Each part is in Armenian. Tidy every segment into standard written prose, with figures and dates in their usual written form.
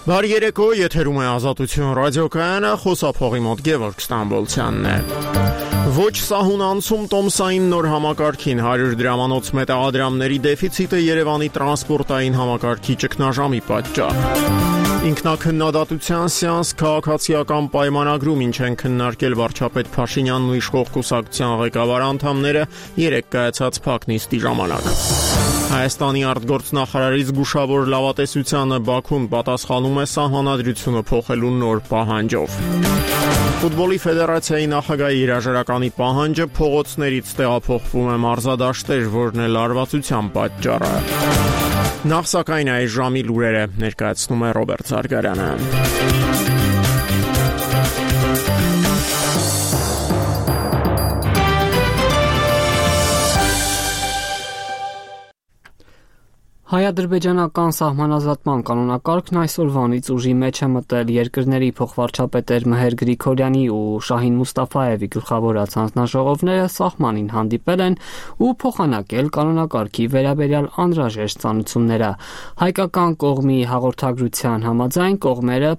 Բարի երեկո, եթերում է Ազատություն ռադիոկայանը, խոսափողի մոտ Գևորգ Ստամբոլցյանն է։ Ոչ սահուն անցում տոմսային նոր համակարգին 100 դրամանոց մետաղադրամների դեֆիցիտը Երևանի տրանսպորտային համակարգի ճգնաժամի պատճառ։ Ինքնակնդատության սեանս քաղաքացիական պայմանագրում, ինչ են քննարկել վարչապետ Փաշինյանն ու իշխող կուսակցության ղեկավար անդամները երեկ կայացած փակնիստի ժամանակ։ Հայաստանի արտգործնախարարի զգուշավոր լավատեսությանը Բաքուն պատասխանում է սահմանադրությունը փոխելու նոր պահանջով։ Ֆուտբոլի ֆեդերացիայի նախագահի հրաժարականի պահանջը փողոցներից տեղափոխվում է մարզադաշտեր, որն է լարվածության պատճառը։ Նախ սակայն այս ժամի լուրերը ներկայացնում է Ռոբերտ Զարգարյանը։ Հայ-ադրբեջանական սահմանազատման կանոնակարգն այսօրվանից ուժի մեջ է մտել երկրների փոխվարչապետեր Մհեր Գրիգորյանի ու Շահին Մուստաֆայևի գլխավորած հանձնաժողովները սահմանին հանդիպել են ու փոխանակել կանոնակարգի վերաբերյալ անհրաժեշտ ծանուցումները։ Հայկական կողմի հաղորդագրության համաձայն կողմերը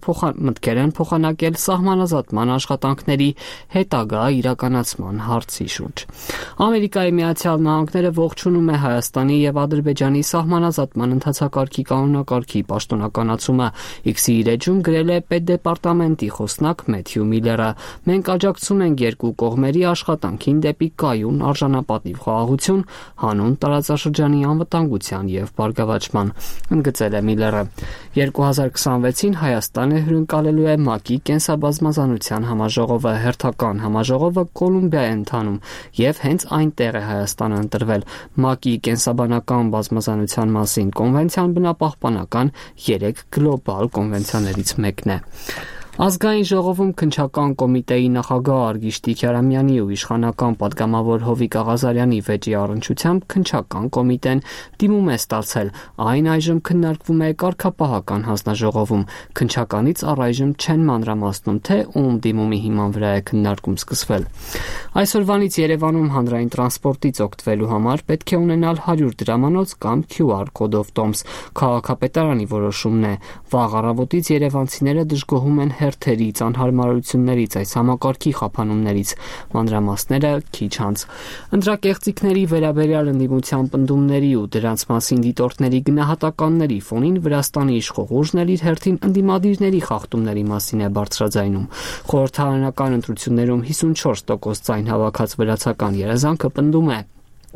մտքեր են փոխանակել սահմանազատման աշխատանքների հետագա իրականացման հարցի շուրջ։ Ամերիկայի Միացյալ Նահանգները ողջունում է Հայաստանի եւ Ադրբեջանի սահմանազատման ընթացակարգի կանոնակարգի պաշտոնականացումը։ X-ի իր էջում գրել է պետդեպարտամենտի խոսնակ Մեթյու Միլլերը։ Մենք աջակցում ենք երկու կողմերի աշխատանքին դեպի կայուն արժանապատիվ խաղաղություն, հանուն տարածաշրջանի անվտանգության եւ բարգավաճման, ընդգծել է Միլլերը։ 2026-ին Հայաստանը հյուրընկալելու է ՄԱԿ-ի կենսաբազմազանության համաժողովը։ Հերթական համաժողովը Կոլումբիա է ընթանում եւ հենց այնտեղ է Հայաստանը ընտրվել։ ՄԱԿ-ի կենսաբանական բազմազանության մասին կոնվենցիան բնապահպանական 3 գլոբալ կոնվենցիաներից մեկն է։ Ազգային ժողովում քննչական կոմիտեի նախագահ Արգիշտի Քյարամյանի ու իշխանական պատգամավոր Հովիկ Աղազարյանի վեճի առնչությամբ քննչական կոմիտեն դիմում է ստացել։ Այն այժմ քննարկվում է կարգապահական հանձնաժողովում։ Քննչականից առայժմ չեն մանրամասնում, թե ում դիմումի հիման վրա է քննարկում սկսվել։ Այսօրվանից Երևանում հանրային տրանսպորտից օգտվելու համար պետք է ունենալ 100 դրամանոց կամ QR կոդով տոմս։ Քաղաքապետարանի որոշումն է։ Վաղ առավոտից երևանցիները դժգոհում են հերթերից, անհարմարություններից, այս համակարգի խափանումներից։ Մանրամասները քիչ անց։ Ընտրակեղծիքների վերաբերյալ ընդդիմության պնդումների ու դրանց մասին դիտորդների գնահատականների ֆոնին Վրաստանի իշխող ուժն էլ իր հերթին ընդդիմադիրների խախտումների մասին է բարձրաձայնում։ Խորհրդարանական ընտրություններում 54% ձայն հավաքած վրացական երազանքը պնդում է.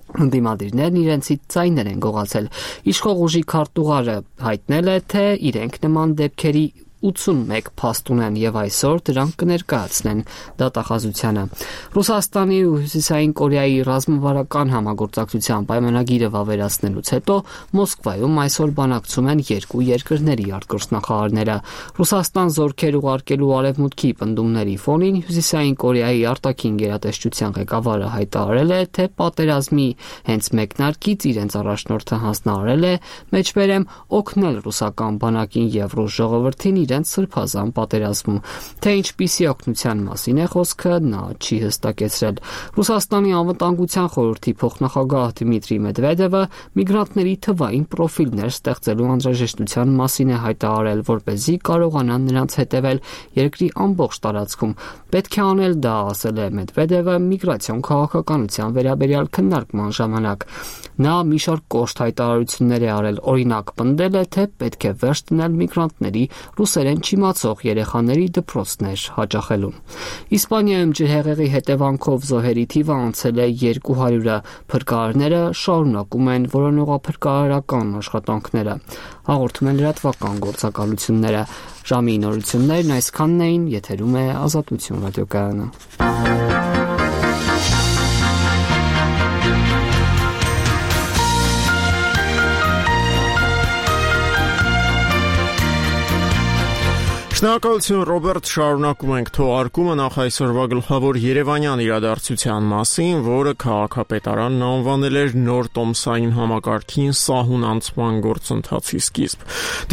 Ընդդիմադիրներն իրենցից ձայներ են գողացել։ Իշխող ուժի քարտուղարը հայտնել է, թե իրենք նման դեպքերի 81 փաստ ունեն եւ այսօր դրանք կներկայացնեն դատախազությանը։ Ռուսաստանի ու Հյուսիսային Կորեայի ռազմավարական համագործակցության պայմանագիրը վավերացնելուց հետո Մոսկվայում այսօր բանակցում են երկու երկրների արտգործնախարարները։ Ռուսաստան զորքեր ուղարկելու արևմուտքի պնդումների ֆոնին Հյուսիսային Կորեայի արտաքին գերատեսչության ղեկավարը հայտարարել է, թե պատերազմի հենց մեկնարկից իրենց առաջնորդը հանձնարարել է մեջբերեմ օգնել ռուսական բանակին եւ ռուս ժողովրդին իրենց սրբազան պատերազմում։ Թե ինչպիսի օգնության մասին է խոսքը, նա չի հստակեցրել։ Ռուսաստանի անվտանգության խորհրդի փոխնախագահ Դմիտրի Մեդվեդևը միգրանտների թվային պրոֆիլներ ստեղծելու անհրաժեշտության մասին է հայտարարել, որպեսզի կարողանան նրանց հետևել երկրի ամբողջ տարածքում։ Պետք է անել դա, ասել է Մեդվեդևը միգրացիոն քաղաքականության վերաբերյալ քննարկման ժամանակ։ Նա մի շարք կոշտ հայտարարություններ է արել, օրինակ պնդել է, թե պետք է վերջ դնել միգրանտների ռուսերեն չիմացող երեխաների դպրոցներ հաճախելուն։ Իսպանիայում ջրհեղեղի հետևանքով զոհերի թիվը անցել է 200-ը։ Փրկարարները շարունակում են որոնողափրկարարական աշխատանքները, հաղորդում են լրատվական գործակալությունները։ Ժամի նորություններն այսքանն էին, եթերում է Ազատություն ռադիոկայանը։ Շնորհակալություն Ռոբերտ, շարունակում ենք թողարկումը նախ այսօրվա գլխավոր երևանյան իրադարձության մասին, որը քաղաքապետարանն անվանել էր նոր տոմսային համակարգին սահուն անցման գործընթացի սկիզբ։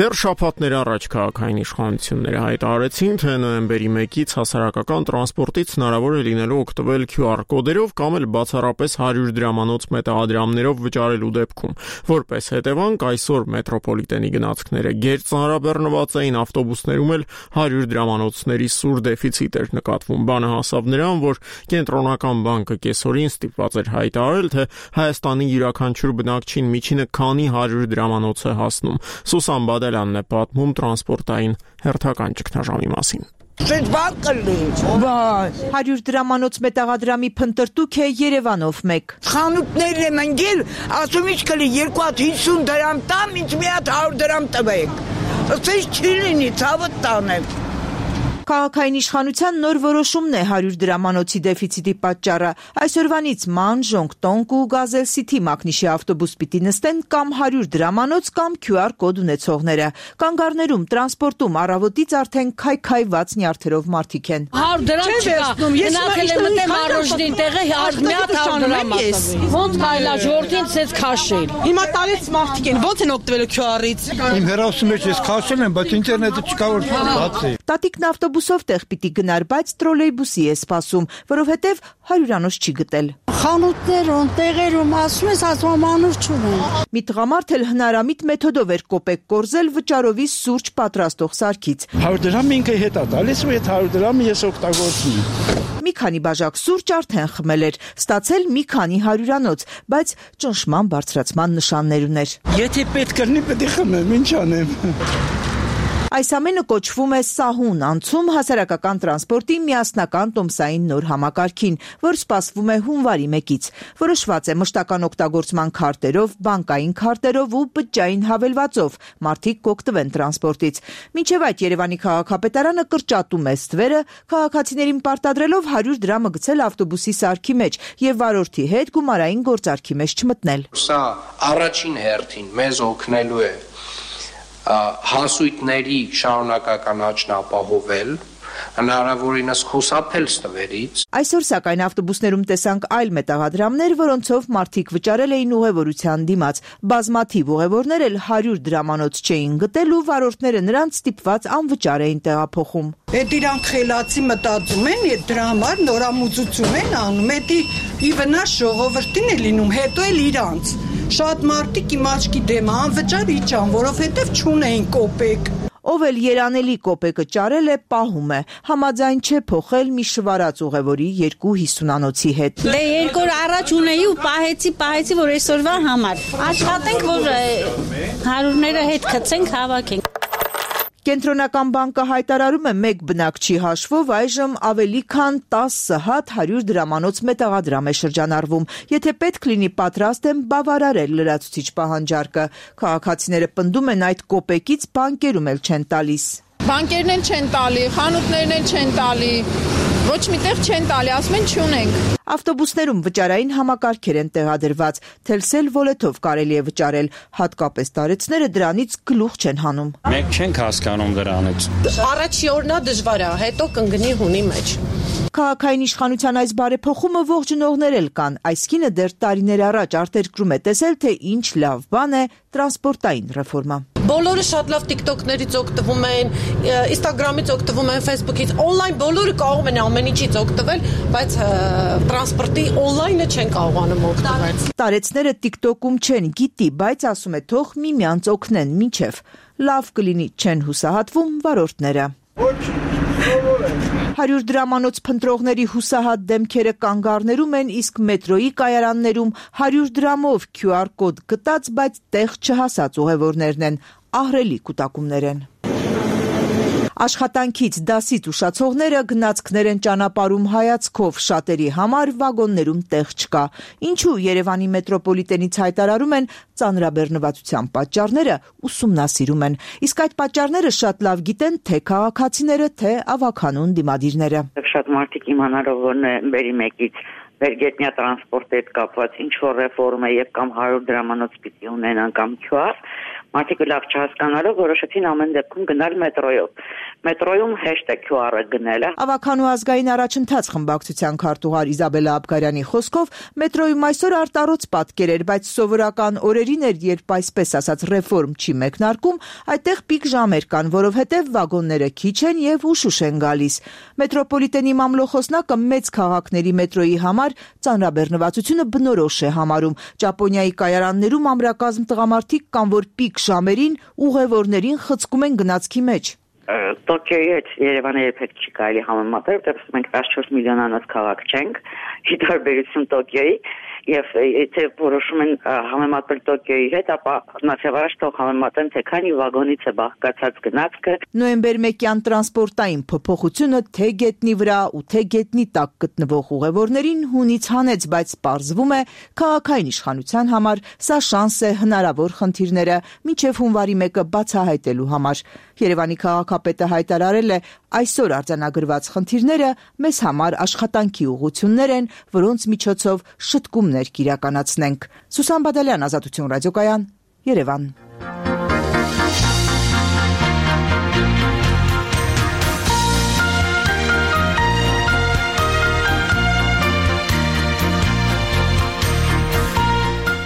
Դեռ շաբաթներ առաջ քաղաքային իշխանությունները հայտարարեցին, թե նոյեմբերի 1-ից հասարակական տրանսպորտից հնարավոր է լինելու օգտվել QR կոդերով կամ էլ բացառապես 100 դրամանոց մետաղադրամներով վճարելու դեպքում։ Որպես հետևանք, այսօր մետրոպոլիտենի գնացքները գերծանրաբեռնված էին, ավտոբուսներում էլ 100 դրամանոցների սուր դեֆիցիտ էր նկատվում։ Բանը հասավ նրան, որ կենտրոնական բանկը կեսօրին ստիպված էր հայտարարել, թե Հայաստանի յուրաքանչյուր բնակչին միջինը քանի 100 դրամանոց է հասնում։ Սուսան Բադալյանն է պատմում տրանսպորտային հերթական ճգնաժամի մասին։ Սենց բան կլի, 100 դրամանոց մետաղադրամի փնտրտուք է Երևանով մեկ։ Խանութներն եմ ընկել, ասում ինչ կլի 250 դրամ տամ, ինձ մի հատ 100 դրամ տվեք։ Սենց չի լինի, ցավը տանեմ։ Քաղաքային իշխանության նոր որոշումն է 100 դրամանոցի դեֆիցիտի պատճառը։ Այսօրվանից ման, ժոնգտոնք ու գազել-սիթի մակնիշի ավտոբուս պիտի նստեն կամ 100 դրամանոց կամ QR կոդ ունեցողները։ Կանգառներում, տրանսպորտում առավոտից արդեն քայքայված նյարդերով մարդիկ են։ 100 դրամ չկա, գնացել եմ մտեմ առողջին տեղը, մի հատ 100 դրամ ասում։ Ոնց կարելի է ժողովրդին ցած քաշել։ Հիմա տարեց մարդիկ են, ոնց են օգտվել QR-ից։ Իմ հեռախոսի մեջ ես քաշել եմ, բայց ինտերնետը չկա որ բացի։ Տատիկն ավտոբուսով տեղ պիտի գնար, բայց տրոլեյբուսի է սպասում, որովհետև 100-անոց չի գտել։ Խանութներում, տեղերում ասում ես ասմանուր չունեն։ Մի տղամարդ էլ հնարամիտ մեթոդով էր կոպեկ կորզել վճարովի սուրճ պատրաստող սարքից։ 100 դրամ ինքը հետ է տալիս ու այդ 100 դրամը ես օգտագործում եմ։ Մի քանի բաժակ սուրճ արդեն խմել էր, ստացել մի քանի 100-անոց, բայց ճնշման բարձրացման նշաններ ուներ։ Եթե պետք կլինի, պետք է խմեմ, ինչ անեմ։ Այս ամենը կոչվում է սահուն անցում հասարակական տրանսպորտի միասնական տոմսային նոր համակարգին, որ սպասվում է հունվարի 1-ից։ Որոշված է մշտական օգտագործման քարտերով, բանկային քարտերով ու բջջային հավելվածով մարդիկ կօգտվեն տրանսպորտից։ Մինչև այդ Երևանի քաղաքապետարանը կրճատում է ստվերը, քաղաքացիներին պարտադրելով 100 դրամը գցել ավտոբուսի սարքի մեջ եւ վարորդի հետ գումարային գործարքի մեջ չմտնել։ Սա առաջին հերթին մեզ օգնելու է հասույթների շարունակական աճն ապահովել, հնարավորինս խուսափել ստվերից։ Այսօր սակայն ավտոբուսներում տեսանք այլ մետաղադրամներ, որոնցով մարդիկ վճարել էին ուղևորության դիմաց։ Բազմաթիվ ուղևորներ էլ 100 դրամանոց չէին գտել ու վարորդները նրանց ստիպված անվճար էին տեղափոխում։ Այդ իրանք խելացի մտածում են, այդ դրա համար նորամուծություն են անում, դա ի վնաս ժողովրդին է լինում, հետո էլ իրանց։ Շատ մարդիկ իմ աչքի դեմ անվճար իջան, որովհետև չունեին կոպեկ։ Ով էլ երանելի կոպեկը ճարել է, պահում է։ Համաձայն չէ փոխել մի շվարած ուղևորի 250-անոցի հետ։ Դե 2 օր առաջ ունեի ու պահեցի, որ այսօրվա համար։ Աշխատենք, որ 100-ները հետ գցենք, հավաքենք։ Կենտրոնական բանկը հայտարարում է մեկ բնակչի հաշվով այժմ ավելի քան 10 հատ 100 դրամանոց մետաղադրամ է շրջանառվում։ Եթե պետք լինի, պատրաստ են բավարարել լրացուցիչ պահանջարկը։ Քաղաքացիները պնդում են այդ կոպեկից բանկերում էլ չեն տալիս։ Բանկերն են չեն տալի, խանութներն են չեն տալի, ոչ միտեղ չեն տալի, ասում են չունենք։ Ավտոբուսներում վճարային համակարգեր են տեղադրված, Telcel Wallet-ով կարելի է վճարել, հատկապես տարեցները դրանից գլուխ չեն հանում։ Մենք չենք հասկանում դրանից։ Առաջի օրնա դժվար է, հետո կընկնի հունի մեջ։ Քաղաքային իշխանության այս բարեփոխումը ողջունողներ էլ կան։ Այս կինը դեռ տարիներ առաջ արտերկրում է տեսել, թե ինչ լավ բան է տրանսպորտային ռեֆորմա։ Բոլորը շատ լավ TikTok-ներից օգտվում են, Instagram-ից օգտվում են, Facebook-ից, on-line բոլորը կարող են ամեն ինչից օգտվել, բայց տրանսպորտի on-line-ը չեն կարողանում օգտվել։ Տարեցները TikTok-ում չեն, գիտի, բայց ասում է թող միմյանց օգնեն, մինչև լավ կլինի չեն հուսահատվում վարորդները։ 100 դրամանոց փնտրողների հուսահատ դեմքերը կանգառներում են, իսկ մետրոյի կայարաններում 100 դրամով QR կոդ գտած, բայց տեղ չհասած ուղևորներն են, ահռելի կուտակումներ են։ Աշխատանքից դասից ուշացողները գնացքներ են ճանապարհում հայացքով, շատերի համար վագոններում տեղ չկա։ Ինչու Երևանի մետրոպոլիտենից հայտարարում են ծանրաբեռնվածության պատճառները ուսումնասիրում են։ Իսկ այդ պատճառները շատ լավ գիտեն թե քաղաքացիները, թե ավագանուն դիմադիրները։ Շատ մարդիկ իմանալով որ նոյեմբերի 1-ից վերգետնյա տրանսպորտի հետ կապված ինչ որ ռեֆորմ է եւ կամ 100 դրամանոց պիտի ունենան կամ QR, Մարդիկ լավ չհասկանալով որոշեցին ամեն դեպքում գնալ մետրոյով։ Մետրոյում հեշտ է QR-ը գնելը։ Ավականու ազգային առաջընթաց խմբակցության քարտուղար Իզաբելլա Աբգարյանի խոսքով մետրոյում այսօր արտարոց պատկեր էր, բայց սովորական օրերին էր, երբ այսպես ասած ռեֆորմ չի մեկնարկում, այդտեղ պիկ ժամեր կան, որովհետև վագոնները քիչ են եւ ուշ են գալիս։ Մետրոպոլիտենի մամլոխոսնակը մեծ քաղաքների մետրոյի համար ծանրաբեռնվածությունը բնորոշ է համարում։ Ճապոնիայի կայարաններում ամրակազմ տղամարդիկ կան, որ պիկ ժամերին ուղևորներին խցկում են գնացքի մեջ։ Տոկիոյի հետ Երևանը երբեք չի կարելի համեմատել, որտեղ մենք 14 միլիոնանոց քաղաք չենք, ի տարբերություն Տոկիոյի, եւ եթե որոշում են համեմատել Տոկիոյի հետ, ապա նախավարաշ թող համեմատեն, թե քանի վագոնից է բաղկացած գնացքը։ Նոյեմբեր 1-յան տրանսպորտային փոփոխությունը թե գետնի վրա ու թե գետնի տակ գտնվող ուղևորներին հունից հանեց, բայց պարզվում է քաղաքային իշխանության համար սա շանս է հնարավոր խնդիրները մինչև հունվարի 1-ը բացահայտելու համար։ Երևանի քաղաքապետը հայտարարել է, այսօր արձանագրված խնդիրները մեզ համար աշխատանքի ուղղություններ են, որոնց միջոցով շտկումներ կիրականացնենք։ Սուսան Բադալյան, Ազատություն ռադիոկայան, Երևան։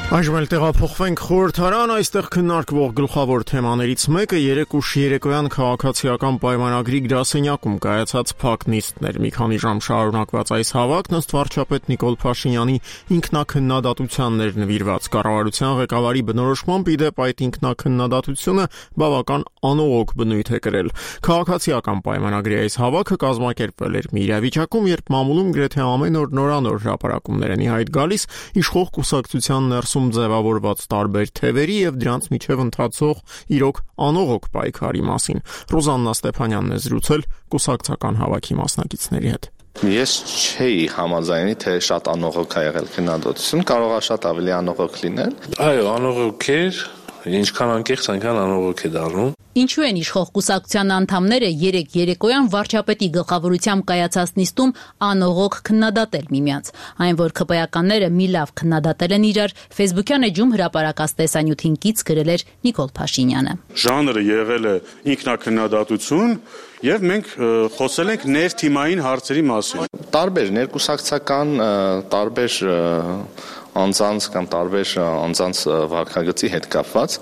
Այժմ էլ տեղափոխվենք խորհրդարան, այստեղ քննարկվող գլխավոր թեմաներից մեկը 3 երեկոյան քաղաքացիական պայմանագրի գրասենյակում կայացած փակ նիստներ։ Մի քանի ժամ շարունակված այս հավաքն ըստ վարչապետ Նիկոլ Փաշինյանի ինքնակննադատությաններ նվիրված կառավարության ղեկավարի բնորոշմամբ իդեպ այդ ինքնակննադատությունը բավական անողոք բնույթ է կրել։ Քաղաքացիական պայմանագրի այս հավաքը կազմակերպվել էր մի իրավիճակում, երբ մամուլում գրեթե ամեն օր նորանոր հրապարակումներ են ի հայտ գալիս իշխող կուսակցության ներսում ձևավորված տարբեր թևերի եւ դրանց միջև ընթացող իրոք անողոք պայքարի մասին։ Ռոզաննա Ստեփանյանն է զրուցել կուսակցական հավաքի մասնակիցների հետ։ Ես չէի համաձայնի, թե շատ անողոք է եղել քննադատություն, կարող է շատ ավելի անողոք լինել։ Այո, անողոք էր, ինչքան անկեղծ, այնքան անողոք է դառնում։ Ինչու են իշխող կուսակցության անդամները 3 երեկոյան վարչապետի գլխավորությամբ կայացած նիստում անողոք քննադատել միմյանց։ Այն, որ ԿՊ-ականները մի լավ քննադատել են իրար, Facebook-յան էջում հրապարակած տեսանյութին կից գրել էր Նիկոլ Փաշինյանը։ Ժանրը եղել է ինքնակննադատություն, եւ մենք խոսել ենք ներթիմային հարցերի մասին։ Տարբեր ներկուսակցական, տարբեր անձանց կամ տարբեր անձանց վարքագծի հետ կապված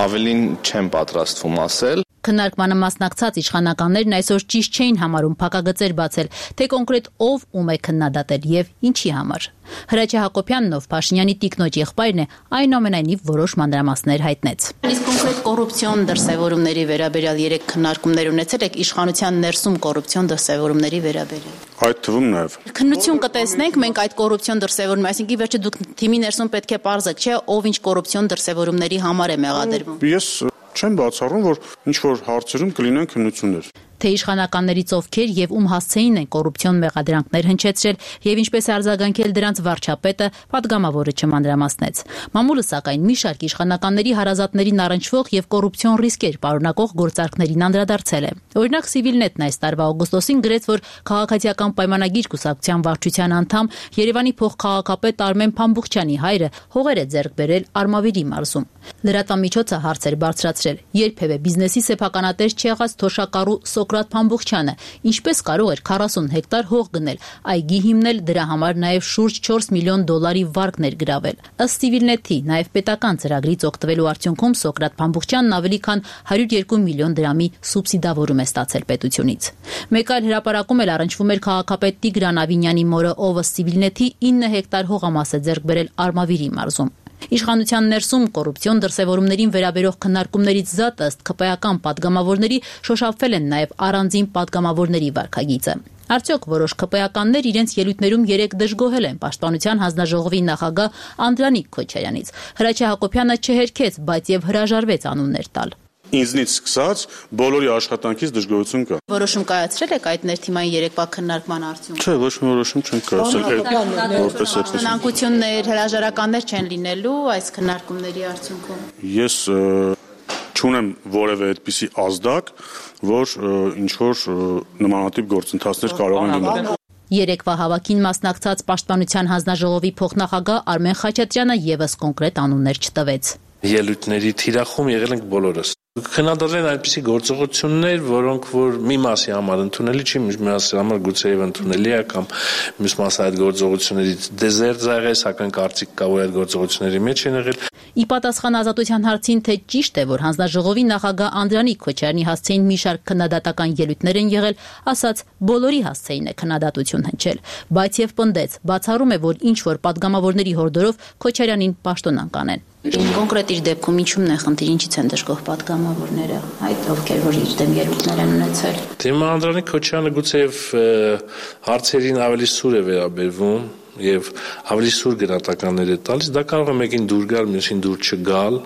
ավելին չեմ պատրաստվում ասել։ Քննարկմանը մասնակցած իշխանականներն այսօր ճիշտ չէին համարում փակագծեր բացել, թե կոնկրետ ով ում է քննադատել եւ ինչի համար։ Հրաչյա Հակոբյանն, ով Փաշինյանի տիկնոջ եղբայրն է, այնուամենայնիվ որոշ մանրամասներ հայտնեց։ Իսկ կոնկրետ կոռուպցիոն դրսևորումների վերաբերյալ 3 քննարկումներ ունեցել եք իշխանության ներսում կոռուպցիոն դրսևորումների վերաբերյալ։ Այդ թվում նաեւ քննություն կտեսնենք մենք այդ կոռուպցիոն դրսևորում, այսինքն վերջը դուք թիմի ներսում պետք է պարզեք, չէ, ով ինչ կոռուպցիոն դրսևորումների համար է մեղադրվում։ Ես չեմ բացառում, որ ինչ որ հարցերում կլինեն քննություններ։ Թե իշխանականներից ովքեր եւ ում հասցեին են կոռուպցիոն մեղադրանքներ հնչեցրել եւ ինչպես է արձագանքել դրանց վարչապետը, պատգամավորը չմանրամասնեց։ Մամուլը սակայն մի շարք իշխանականների հարազատներին առնչվող եւ կոռուպցիոն ռիսկեր պարունակող գործարքներին անդրադարձել է։ Օրինակ Civilnet-ն այս տարվա օգոստոսին գրեց, որ քաղաքացիական պայմանագիր կուսակցության վարչության անդամ Երևանի փոխքաղաքապետ Արմեն Փամբուխչյանի հայրը հողեր է ձեռք բերել Արմավիրի մարզում։ Լրատվամիջոցը հարցեր բարձրացրել։ Երբևէ բիզնեսի սեփականատեր չեղած թոշակառու Սոկրատ Փամբուխչյանը ինչպես կարող էր 40 հեկտար հող գնել, այգի հիմնել, դրա համար նաև շուրջ 4 միլիոն դոլարի վարկ ներգրավել։ Ըստ Civilnet-ի նաև պետական ծրագրից օգտվելու արդյունքում Սոկրատ Փամբուխչյանն ավելի քան 102 միլիոն դրամի սուբսիդավորում է ստացել պետությունից։ Մեկ այլ հրապարակում էլ առնչվում էր քաղաքապետ Տիգրան Ավինյանի մորը, ով ըստ Civilnet-ի 9 հեկտար հողամաս է ձեռք բերել Արմավիրի մարզում։ Իշխանության ներսում կոռուպցիոն դրսևորումներին վերաբերող քննարկումներից զատ ըստ ԿՊ-ական պատգամավորների շոշափվել են նաև առանձին պատգամավորների վարքագիծը։ Արդյոք որոշ ԿՊ-ականներ իրենց ելույթներում 3 դժգոհել են Պաշտպանության հանձնաժողովի նախագահ Անդրանիկ Քոչարյանից։ Հրաչյա Հակոբյանը չհերքեց, բայց եւ հրաժարվեց անուններ տալ։ Ինձնից սկսած բոլորի աշխատանքից դժգոհություն կա։ Որոշում կայացրել եք այդ ներթիմային երեկվա քննարկման արդյունքում։ Չէ, ոչ մի որոշում չենք կայացրել, որպես այդպես։ Հնանկություններ, հրաժարականներ չեն լինելու այս քննարկումների արդյունքում։ Ես չունեմ որևէ այդպիսի ազդակ, որ ինչ որ նմանատիպ գործընթացներ կարող են լինել։ Երեկվա հավաքին մասնակցած Պաշտպանության հանձնաժողովի փոխնախագահ Արմեն Խաչատրյանը եւս կոնկրետ անուններ չտվեց։ ելույթների թիրախում եղել ենք բոլորս։ Քննադատել այնպիսի գործողություններ, որոնք որ մի մասի համար ընդունելի չի, մյուս մասի համար գուցեև ընդունելի է կամ մյուս մասը այդ գործողություններից դեզերտ եղել, սակայն կարծիք կա, որ այդ գործողությունների մեջ են եղել։ Ի պատասխան Ազատության հարցին, թե ճիշտ է, որ հանձնաժողովի նախագահ Անդրանիկ Քոչարյանի հասցեին մի շարք քննադատական ելույթներ են եղել, ասաց բոլորի հասցեին է քննադատություն հնչել, բայց եւ պնդեց, բացառում է, որ ինչ որ падգամավորների հորդորով Քոչարյանին պաշտոնան կանեն։ Կոնկրետ իր դեպքում ինչու՞մն է խնդիր, ինչից են դժգոհ падգամավորները, այդ ովքեր որ իր դեմ ելույթներ են ունեցել։ Դեմա Անդրանիկ Քոչարյանը գուցեև հարցերին ավելի սուր է վերաբերվում եւ ավելի սուր գնահատականներ է տալիս, դա կարող է մեկին դուր գալ, մյուսին դուր չգալ։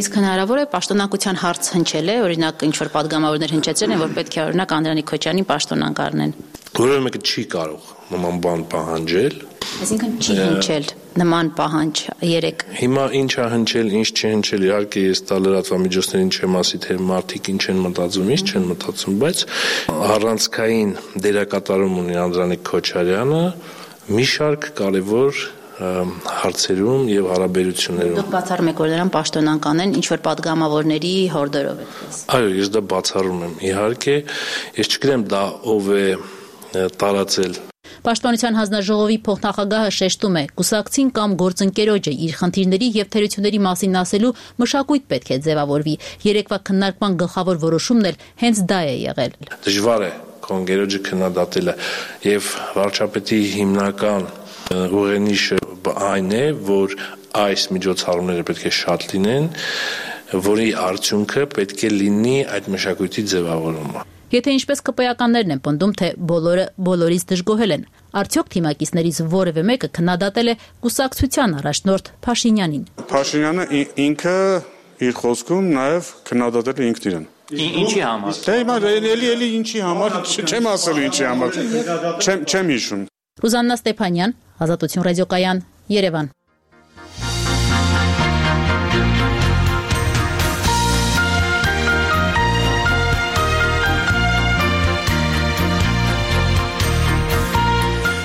Իսկ հնարավոր է պաշտոնակության հարց հնչել է, օրինակ ինչ որ падգամավորներ հնչեցրել են, որ պետք է օրինակ Անդրանիկ Քոչարյանին պաշտոնան կառնեն։ Որևէ մեկը չի կարող նման բան պահանջել։ Այսինքն չի հնչել նման պահանջ երեք։ Հիմա ինչ է հնչել, ինչ չի հնչել, իհարկե ես դա լրատվամիջոցներին չեմ ասի, թե մարդիկ ինչ են մտածում, ինչ չեն մտածում, բայց առանցքային դերակատարում ունի Անդրանիկ Քոչարյանը մի շարք կարևոր հարցերում եւ հարաբերություններում։ Դուք բացառում եք, որ նրան պաշտոնան կանեն ինչ որ падգամավորների հորդորով այդպես։ Այո, ես դա բացառում եմ։ Իհարկե, ես չգիտեմ դա ով է տարածել։ Պաշտպանության հանձնաժողովի փոխնախագահը շեշտում է, կուսակցին կամ գործընկերոջը իր խնդիրների եւ թերությունների մասին ասելու մշակույթ պետք է ձևավորվի։ Երեկվա քննարկման գլխավոր որոշումն էլ հենց դա է եղել։ Դժվար է կոնգերոջը քննադատելը եւ վարչապետի հիմնական ուղենիշը այն է, որ այս միջոցառումները պետք է շատ լինեն, որի արդյունքը պետք է լինի այդ մշակույթի ձևավորումը։ Եթե ինչպես ԿՊ-ականներն են պնդում, թե բոլորը բոլորից դժգոհել են, արդյոք թիմակիցներից որևէ մեկը քննադատել է կուսակցության առաջնորդ Փաշինյանին։ Փաշինյանը ինքը իր խոսքում նաև քննադատել է ինքն իրեն։ Ինչի համար։ Դե հիմա էլի ինչի համար, չեմ ասելու ինչի համար։ Չեմ հիշում։ Ռուզաննա Ստեփանյան, Ազատություն ռադիոկայան, Երևան։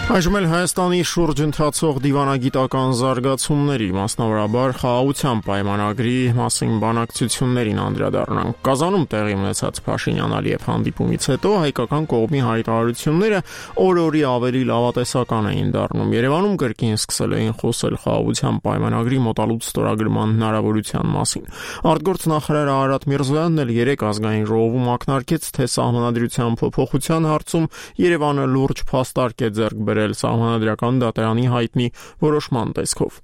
Այժմ էլ Հայաստանի շուրջ ընթացող դիվանագիտական զարգացումների, մասնավորաբար խաղաղության պայմանագրի մասին բանակցություններին անդրադառնանք։ Կազանում տեղի ունեցած Փաշինյան-Ալիև հանդիպումից հետո հայկական կողմի հայտարարությունները օր-օրի ավելի լավատեսական էին դառնում։ Երևանում կրկին սկսել էին խոսել խաղաղության պայմանագրի մոտալուտ ստորագրման հնարավորության մասին։ Արտգործնախարար Արարատ Միրզոյանն էլ երեկ ազգային ժողովում ակնարկեց, թե սահմանադրության փոփոխության հարցում Երևանը լուրջ փաստարկ է ձեռք բերել Սահմանադրական դատարանի հայտնի որոշման տեսքով։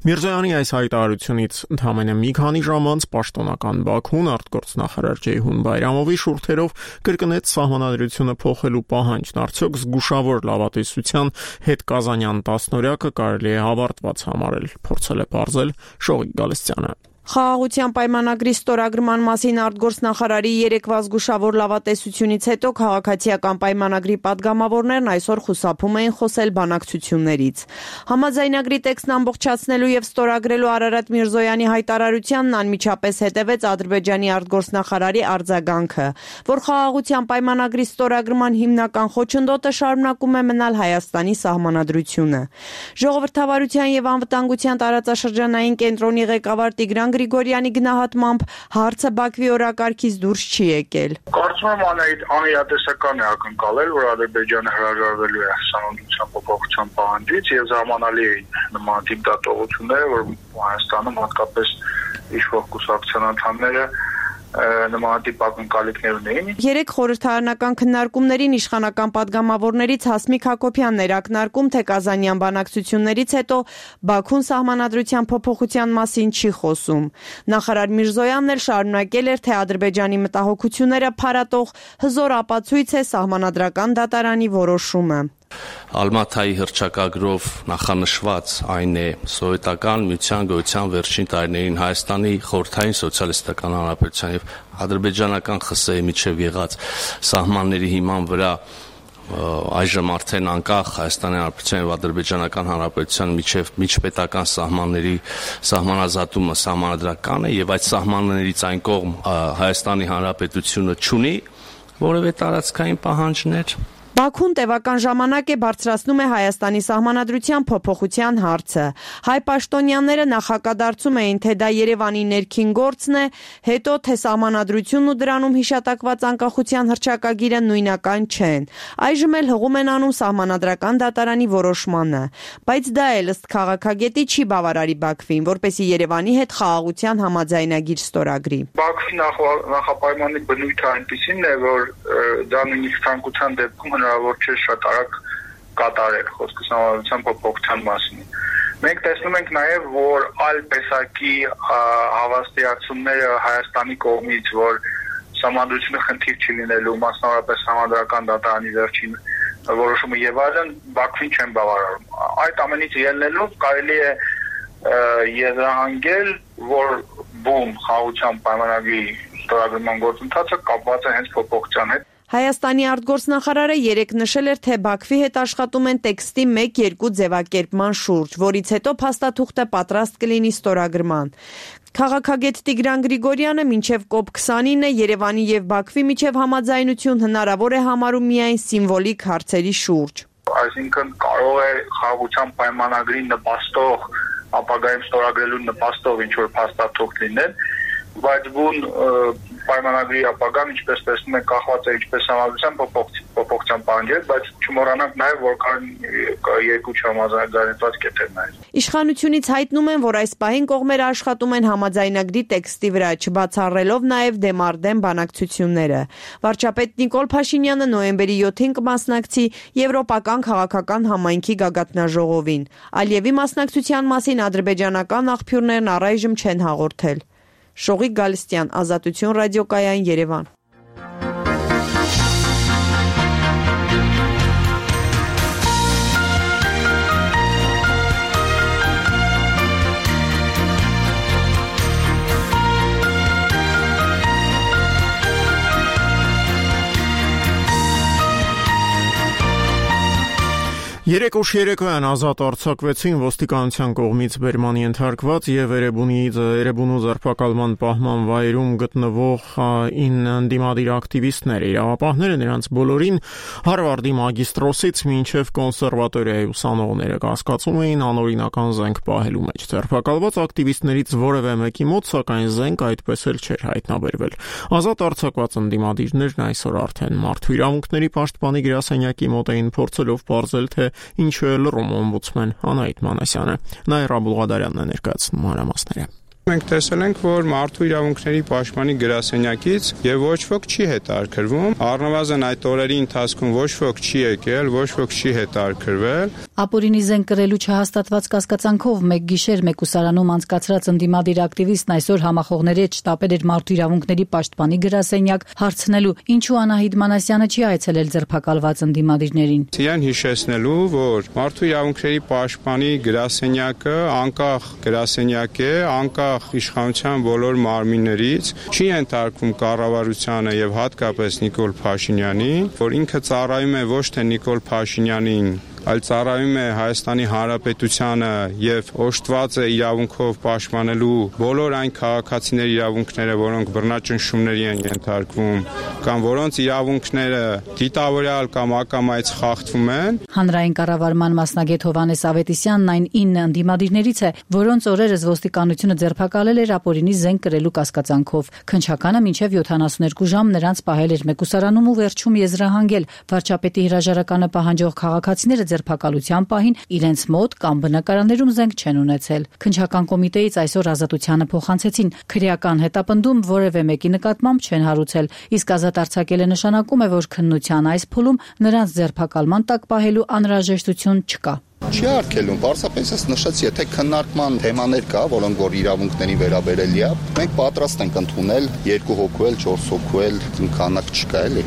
Միրզոյանի այս հայտարարությունից ընդամենը մի քանի ժամ անց պաշտոնական Բաքուն արտգործնախարար Ջեյհուն Բայրամովի շուրթերով կրկնեց սահմանադրությունը փոխելու պահանջն, արդյոք զգուշավոր լավատեսության հետ Կազանյան 10-օրյակը կարելի է հավարտված համարել, փորձել է պարզել Շողիկ Գալստյանը։ Խաղաղության պայմանագրի ստորագրման մասին արտգործնախարարի երեկվա զգուշավոր լավատեսությունից հետո քաղաքացիական պայմանագրի падգամավորներն այսօր խուսափում էին խոսել բանակցություններից։ Համաձայնագրի տեքստն ամբողջացնելու եւ ստորագրելու Արարատ Միրզոյանի հայտարարությանն անմիջապես հետևեց Ադրբեջանի արտգործնախարարի արձագանքը, որ խաղաղության պայմանագրի ստորագրման հիմնական խոչընդոտը շարունակում է մնալ Հայաստանի սահմանադրությունը։ Ժողովրդավարության եւ անվտանգության տարածաշրջանային կենտրոնի ղեկավար Տիգրան Գրիգորյանի գնահատմամբ հարցը Բաքվի օրակարգից դուրս չի եկել։ Կարծում եմ անիրատեսական է ակնկալել, որ Ադրբեջանը հրաժարվելու է սահմանադրության փոփոխության պահանջից եւ զարմանալի է նման տիպ դատողությունները, որ Հայաստանում հատկապես իշխող կուսակցության անդամները նմանատիպ ակնկալիքներ ունեին։ Երեք խորհրդարանական քննարկումներին իշխանական падգամավորներից Հասմիկ Հակոբյանն էր ակնարկում, թե Կազանյան բանակցություններից հետո Բաքուն սահմանադրության փոփոխության մասին չի խոսում։ Նախարար Միրզոյանն էլ շարունակել էր, թե Ադրբեջանի մտահոգությունները փարատող հզոր ապացույց է սահմանադրական դատարանի որոշումը։ Ալմաթայի հռչակագրով նախանշված այն է սովետական միության գոյության վերջին տարիներին Հայաստանի խորհրդային սոցիալիստական հանրապետության եւ ադրբեջանական ԽՍՀ-ի միջև եղած սահմանների հիման վրա այժմ արդեն անկախ Հայաստանի Հանրապետության եւ Ադրբեջանական Հանրապետության միջև միջպետական սահմանների սահմանազատումը սահմանադրական է եւ այդ սահմաններից այն կողմ Հայաստանի Հանրապետությունը չունի որևէ տարածքային պահանջներ Բաքուն տևական ժամանակ է բարձրացնում է Հայաստանի սահմանադրության փոփոխության հարցը։ Հայ պաշտոնյաները նախակադարձում էին, թե դա Երևանի ներքին գործն է, հետո թե սահմանադրությունն ու դրանում հիշատակված անկախության հռչակագիրը նույնական չեն։ Այժմ էլ հղում են անում սահմանադրական դատարանի որոշմանը։ Բայց դա էլ ըստ քաղաքագետի չի բավարարի Բաքվին, որպեսզի Երևանի հետ խաղաղության համաձայնագիր ստորագրի։ Բաքվի նախապայմանի բնույթը այնպիսին է, որ դա նույնիսկ ցանկության դեպքում հնարավոր չէ շատ արագ կատարել, խոսքը սահմանադրության փոփոխության մասին։ Մենք տեսնում ենք նաև, որ այլ տեսակի հավաստիացումները Հայաստանի կողմից, որ սահմանադրությունը խնդիր չի լինելու, մասնավորապես սահմանադրական դատարանի վերջին որոշումը եւ այլն, Բաքվին չեն բավարարում։ Այդ ամենից ելնելով կարելի է եզրահանգել, որ բուն խաղաղության պայմանագրի ստորագրման գործընթացը կապված է հենց փոփոխության հետ։ Հայաստանի արտգործնախարարը երեկ նշել էր, թե Բաքվի հետ աշխատում են տեքստի 1-2 ձևակերպման շուրջ, որից հետո փաստաթուղթը պատրաստ կլինի ստորագրման։ Քաղաքագետ Տիգրան Գրիգորյանը մինչև COP29-ը Երևանի եւ Բաքվի միջև համաձայնություն հնարավոր է համարում միայն սիմվոլիկ հարցերի շուրջ։ Այսինքն կարող է խաղաղության պայմանագրի նպաստող, ապագայում ստորագրելու նպաստող ինչ-որ փաստաթուղթ լինել, բայց բուն պայմանագրի ապագան, ինչպես տեսնում եք, կախված է ինչպես համաձայնության փոփոխության պահանջից, բայց չմոռանանք նաև, որ կան երկու չհամաձայնված կետեր նաև։ Իշխանությունից հայտնում են, որ այս պահին կողմերը աշխատում են համաձայնագրի տեքստի վրա, չբացառելով նաև դեմարդեմ բանակցությունները։ Վարչապետ Նիկոլ Փաշինյանը նոյեմբերի 7-ին կմասնակցի Եվրոպական քաղաքական համայնքի գագաթնաժողովին։ Ալիևի մասնակցության մասին ադրբեջանական աղբյուրներն առայժմ չեն հաղորդել։ Շողիկ Գալստյան, Ազատություն ռադիոկայան, Երևան։ Երեկ ուշ երեկոյան ազատ արձակվեցին ոստիկանության կողմից բերման ենթարկված եւ Էրեբունու ձերբակալման պահման վայրում գտնվող 9 ընդդիմադիր ակտիվիստներ։ Իրավապահները նրանց բոլորին Հարվարդի մագիստրոսից մինչև կոնսերվատորիայի ուսանողները կասկածում էին անօրինական զենք պահելու մեջ։ Ձերբակալված ակտիվիստներից որևէ մեկի մոտ սակայն զենք այդպես էլ չէր հայտնաբերվել։ Ազատ արձակված ընդդիմադիրներն այսօր արդեն մարդու իրավունքների պաշտպանի գրասենյակի մոտ էին փորձելով պարզել, թե ինչու է լռում օմբուդսմեն Անահիտ Մանասյանը։ Նաիրա Բուլղադարյանն է ներկայացնում մանրամասները։ Մենք տեսել ենք, որ մարդու իրավունքների պաշտպանի գրասենյակից եւ ոչ ոք չի հետարկրվում, առնվազն այդ օրերի ընթացքում ոչ ոք չի եկել, ոչ ոք չի հետարկրվել։ Ապօրինի զենք կրելու չհաստատված կասկածանքով մեկ գիշեր մեկուսարանում անցկացրած ընդդիմադիր ակտիվիստն այսօր համախոհների հետ շտապել էր մարդու իրավունքների պաշտպանի գրասենյակ հարցնելու, ինչու Անահիտ Մանասյանը չի այցելել ձերբակալված ընդդիմադիրներին։ Ցիան հիշեցնելու, որ մարդու իրավունքների պաշտպանի գրասենյակը անկախ գրասենյակ է, անկախ իշխանության բոլոր մարմիններից, չի ենթարկվում կառավարությանը եւ հատկապես Նիկոլ Փաշինյանին, որ ինքը ծառայում է ոչ թե Նիկոլ Փաշինյանին, այլ ծառայում է Հայաստանի Հանրապետությանը եւ օժտված է իրավունքով պաշտպանելու բոլոր այն քաղաքացիների իրավունքները, որոնք բռնաճնշումների են ենթարկվում, կամ որոնց իրավունքները դիտավորյալ կամ ակամայից խախտվում են։ Հանրային կառավարման մասնագետ Հովհաննես Ավետիսյանն այն 9 ընդդիմադիրներից է, որոնց օրերս ոստիկանությունը ձերբակալել էր ապօրինի զենք կրելու կասկածանքով։ Քննչականը մինչև 72 ժամ նրանց պահել էր մեկուսարանում ու վերջում եզրահանգել։ Վարչապետի հրաժարականը պահանջող քաղաքացիները ձերբակալության պահին իրենց մոտ կամ բնակարաններում զենք չեն ունեցել։ Քննչական կոմիտեից այսօր ազատությանը փոխանցեցին քրեական հետապնդում որևէ մեկի նկատմամբ չեն հարուցել, իսկ ազատ արձակելը նշանակում է, որ քննության այս փուլում նրանց ձերբակալման տակ պահելու անհրաժեշտություն չկա։ Չի արգելում, պարզապես ես նշեցի, եթե քննարկման թեմաներ կա, որոնք որ իրավունքների վերաբերելի է, մենք պատրաստ ենք ընդունել 2 հոգու էլ, 4 հոգու էլ, քանակ չկա էլի։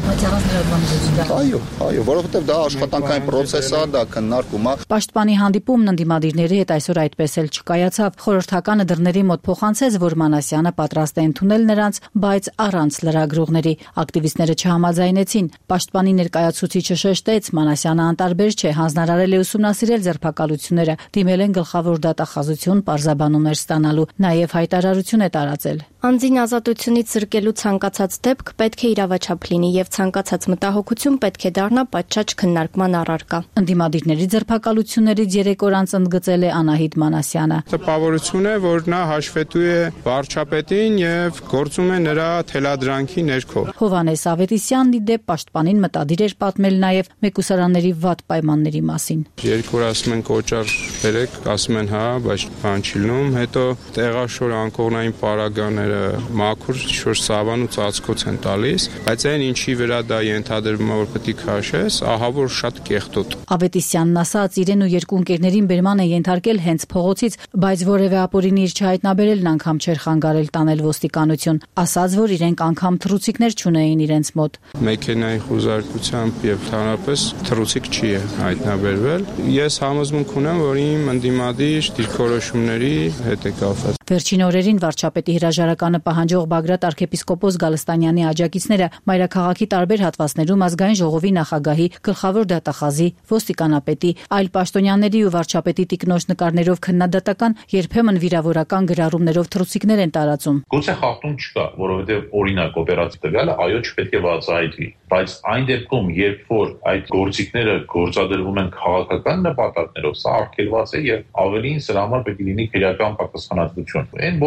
Այո, որովհետև դա աշխատանքային պրոցես է, դա քննարկում է։ Պաշտպանի հանդիպումն ընդդիմադիրների հետ այսօր այդպես էլ չկայացավ։ Խորհրդականը դռների մոտ փոխանցեց, որ Մանասյանը պատրաստ է ընդունել նրանց, բայց առանց լրագրողների։ Ակտիվիստները չհամաձայնեցին։ Պաշտպանի ներկայացուցիչը շեշտեց, Մանասյանը անտարբեր չէ, հանձնարարել է ուսումնասիրել ձերբակալությունները, դիմել են գլխավոր դատախազություն պարզաբանումներ ստանալու, նաև հայտարարություն է տարածել։ Անձին ազատությունից զրկելու ցանկացած դեպք պետք է իրավաչափ լինի եւ ցանկացած մտահոգություն պետք է դառնա պատշաճ քննարկման առարկա։ Ընդդիմադիրների ձերբակալություններից 3 օր անց ընդգծել է Անահիտ Մանասյանը։ Տպավորություն է, որ նա հաշվետու է վարչապետին եւ գործում է նրա թելադրանքի ներքո։ Հովհաննես Ավետիսյանն ի դեպ պաշտպանին մտադիր էր պատմել նաեւ մեկուսարանների վատ պայմանների մասին։ 2 օր ասում են կոճար բերեք, ասում են հա, բայց բան չի լինում, հետո տեղաշոր անկողնային պարագաներ մաքուր շոր սավան ու ծածկոց են տալիս, բայց այն ինչի վրա դա ենթադրվում է որ պետք է քաշես, ահա որ շատ կեղտոտ։ Ավետիսյանն ասաց, իրեն ու 2 ընկերներին բերման է ենթարկել հենց փողոցից, բայց որևէ ապօրինի իր չհայտնաբերելն անգամ չէր խանգարել տանել ոստիկանություն, ասաց, որ իրենք անգամ թռուցիկներ չունեին իրենց մոտ։ Մեքենայի խուզարկությամբ եւ հանրապես թռուցիկ չի հայտնաբերվել։ Ես համոզմունք ունեմ, որ իմ ընդդիմադիր դիրքորոշումների հետ է կապված։ Վերջին օրերին վարչապետի հրաժարականը պահանջող Բագրատ arczepiskopos Գալստանյանի աջակիցները մայրաքաղաքի տարբեր հատվածներում ազգային ժողովի նախագահի, գլխավոր դատախազի, ոստիկանապետի, այլ պաշտոնյաների ու վարչապետի տիկնոջ նկարներով քննադատական, երբեմն վիրավորական գրառումներով թռուցիկներ են տարածում։ Գուցե խախտում չկա, որովհետև օրինակ օպերացիա տվյալը այո չպետք է բացահայտվի, բայց այն դեպքում, երբ որ այդ գործիքները գործադրվում են քաղաքական նպատակներով, սա արգելված է եւ ավելին սրա համար պետք է լինի քրեական պատասխանատվություն։ Այն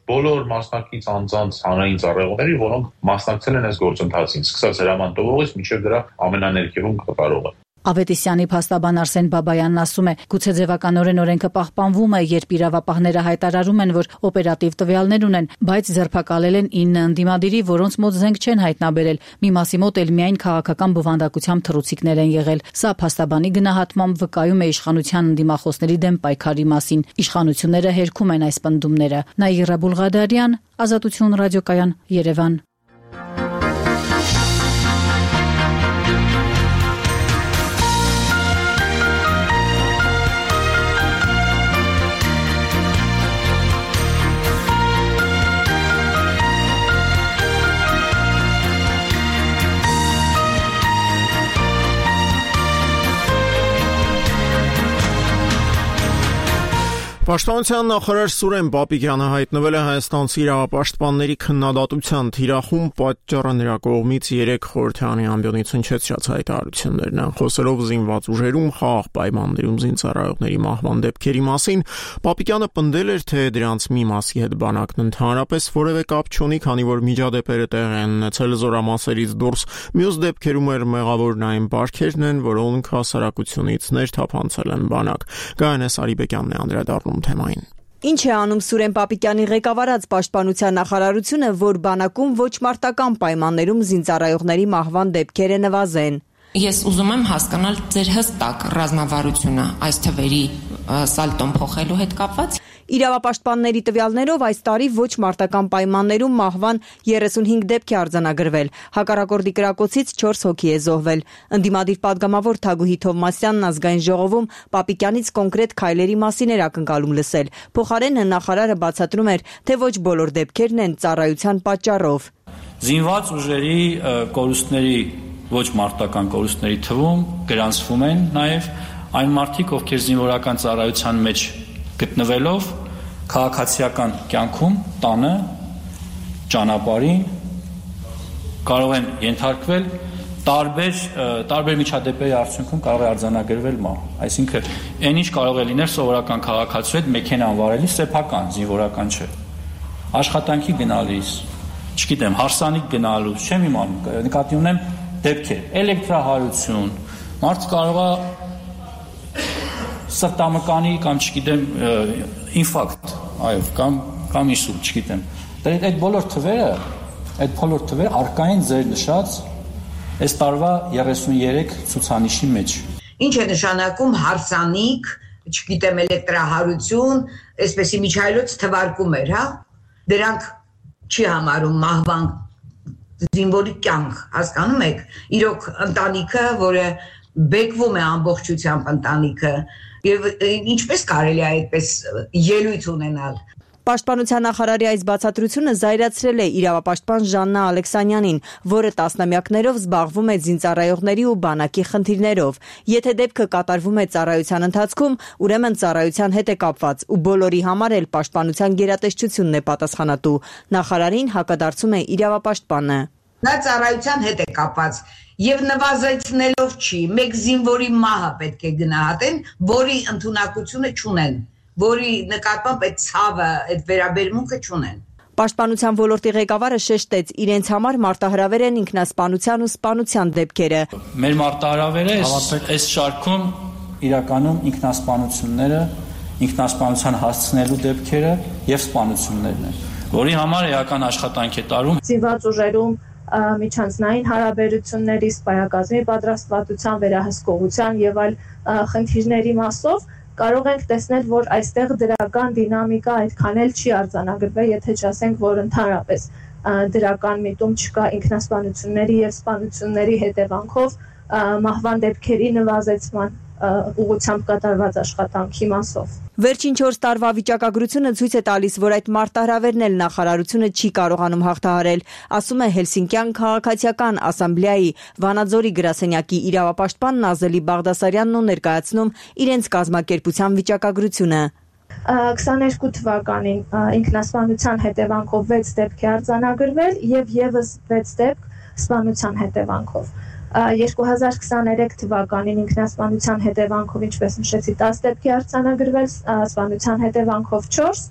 բոլոր մասնակից անձանց հանրային ծառայողների, որոնք մասնակցել են այս գործընթացին, սկսած հրամանտողից մինչև դրա ամենաներկևում կատարողը։ Ավետիսյանի փաստաբան Արսեն Բաբայանն ասում է, գուցե ձևականորեն օրենքը պահպանվում է, երբ իրավապահները հայտարարում են, որ օպերատիվ տվյալներ ունեն, բայց ձերբակալել են 9 ընդդիմադիրի, որոնց մոտ զենք չեն հայտնաբերել։ Մի մասի մոտ էլ միայն քաղաքական բովանդակությամբ թռուցիկներ են եղել։ Սա փաստաբանի գնահատմամբ վկայում է իշխանության ընդդիմախոսների դեմ պայքարի մասին։ Իշխանությունները հերքում են այս պնդումները։ Նաիրա Բուլղադարյան, Ազատություն ռադիոկայան, Երևան։ Պաշտպանության նախարար Սուրեն Պապիկյանը հայտնվել է հայաստանցի իրավապաշտպանների քննադատության թիրախում, պատճառը նրա կողմից 3 խորհրդարանի ամբիոնից հնչեցրած հայտարարություններն են։ Խոսելով զինված ուժերում խաղաղ պայմաններում զինծառայողների մահվան դեպքերի մասին, Պապիկյանը պնդել էր, թե դրանց մի մասի հետ բանակն ընդհանրապես որևէ կապ չունի, քանի որ միջադեպերը տեղի են ունեցել զորամասերից դուրս, մյուս դեպքերում էր մեղավորն այն բարքերն են, որոնք հասարակությունից ներթափանցել են բանակ։ Գայանես Արիբեկյանն է անդրադառնում թեմային։ Ինչ է անում Սուրեն Պապիկյանի ղեկավարած պաշտպանության նախարարությունը, որ բանակում ոչ մարտական պայմաններում զինծառայողների մահվան դեպքերը նվազեն։ Ես ուզում եմ հասկանալ ձեր հստակ ռազմավարությունը այս թվերի սալտոն փոխելու հետ կապված։ Իրավապաշտպանների տվյալներով այս տարի ոչ մարտական պայմաններում մահվան 35 դեպք է արձանագրվել։ Հակառակորդի կրակոցից 4 հոգի է զոհվել։ Ընդդիմադիր պատգամավոր Թագուհի Թովմասյանն ազգային ժողովում Պապիկյանից կոնկրետ քայլերի մասին էր ակնկալում լսել։ Փոխարենը նախարարը բացատրում էր, թե ոչ բոլոր դեպքերն են ծառայության պատճառով։ Զինված ուժերի կորուստների ոչ մարտական կորուստների թվում գրանցվում են նաև այն մարդիկ, ովքեր զինվորական ծառայության մեջ գտնվելով քաղաքացիական կյանքում տանը ճանապարհին կարող են ենթարկվել տարբեր միջադեպերի արդյունքում կարող է արձանագրվել մահ։ Այսինքն, այն ինչ կարող է լինել սովորական քաղաքացու հետ մեքենան վարելիս սեփական, զինվորական չէ։ Աշխատանքի գնալիս, չգիտեմ, հարսանիք գնալուց, չեմ իմանում, նկատի ունեմ դեպքեր, էլեկտրահարություն, մարդ կարող է սրտամկանի կամ չգիտեմ ինֆարկտ, այո, կամ ինսուլտ, չգիտեմ։ Այդ բոլոր թվերը առկա են ձեր նշած այս տարվա 33 ցուցանիշի մեջ։ Ինչ է նշանակում հարսանիք, չգիտեմ, էլեկտրահարություն, այսպեսի միջայլոց թվարկումներ, հա։ Դրանք չի համարում մահվան զինվորի կյանք, հասկանում եք։ Իրոք ընտանիքը, որը բեկվում է ամբողջությամբ ընտանիքը, եւ ինչպես կարելի է այդպես ելույթ ունենալ։ Պաշտպանության նախարարի այս բացատրությունը զայրացրել է իրավապաշտպան Ժաննա Ալեքսանյանին, որը տասնամյակներով զբաղվում է զինծառայողների ու բանակի խնդիրներով։ Եթե դեպքը կատարվում է ծառայության ընթացքում, ուրեմն ծառայության հետ է կապված ու բոլորի համար էլ պաշտպանության գերատեսչությունն է պատասխանատու։ Նախարարին հակադարձում է իրավապաշտպանը։ Նա ծառայության հետ է կապված եւ նվազեցնելով չի, մեկ զինվորի մահը պետք է գնահատեն, որի ընդունակությունը չունեն, որի նկատմամբ այդ ցավը, այդ վերաբերմունքը չունեն։ Պաշտպանության ոլորտի ղեկավարը շեշտեց, իրենց համար մարտահրավեր են ինքնասպանության ու սպանության դեպքերը։ Մեր մարտահրավերը այս շարքում իրականում ինքնասպանությունները, ինքնասպանության հասցնելու դեպքերը եւ սպանություններն են, որի համար էական աշխատանք է տարում։ Զինված ուժերում միջանձնային հարաբերությունների, սպայակազմի պատրաստվածության, վերահսկողության եւ այլ խնդիրների մասով կարող ենք տեսնել, որ այստեղ դրական դինամիկա այդքան էլ չի արձանագրվել, եթե չասենք, որ ընդհանրապես դրական միտում չկա ինքնասպանությունների եւ սպանությունների հետևանքով մահվան դեպքերի նվազեցման ուղղությամբ կատարված աշխատանքի մասով։ Վերջին 4 տարվա վիճակագրությունը ցույց է տալիս, որ այդ մարտահրավերն էլ նախարարությունը չի կարողանում հաղթահարել, ասում է Հելսինկյան քաղաքացիական ասամբլեայի Վանաձորի գրասենյակի իրավապաշտպան Նազելի Բաղդասարյանն ու ներկայացնում իրենց կազմակերպության վիճակագրությունը։ 22 թվականին ինքնասպանության հետևանքով 6 դեպք է արձանագրվել եւ եւս 6 դեպք սպանության հետևանքով։ 2023 թվականին ինքնասպանության հետևանքով, ինչպես նշեցի, 10 դեպք է արձանագրվել, սպանության հետևանքով 4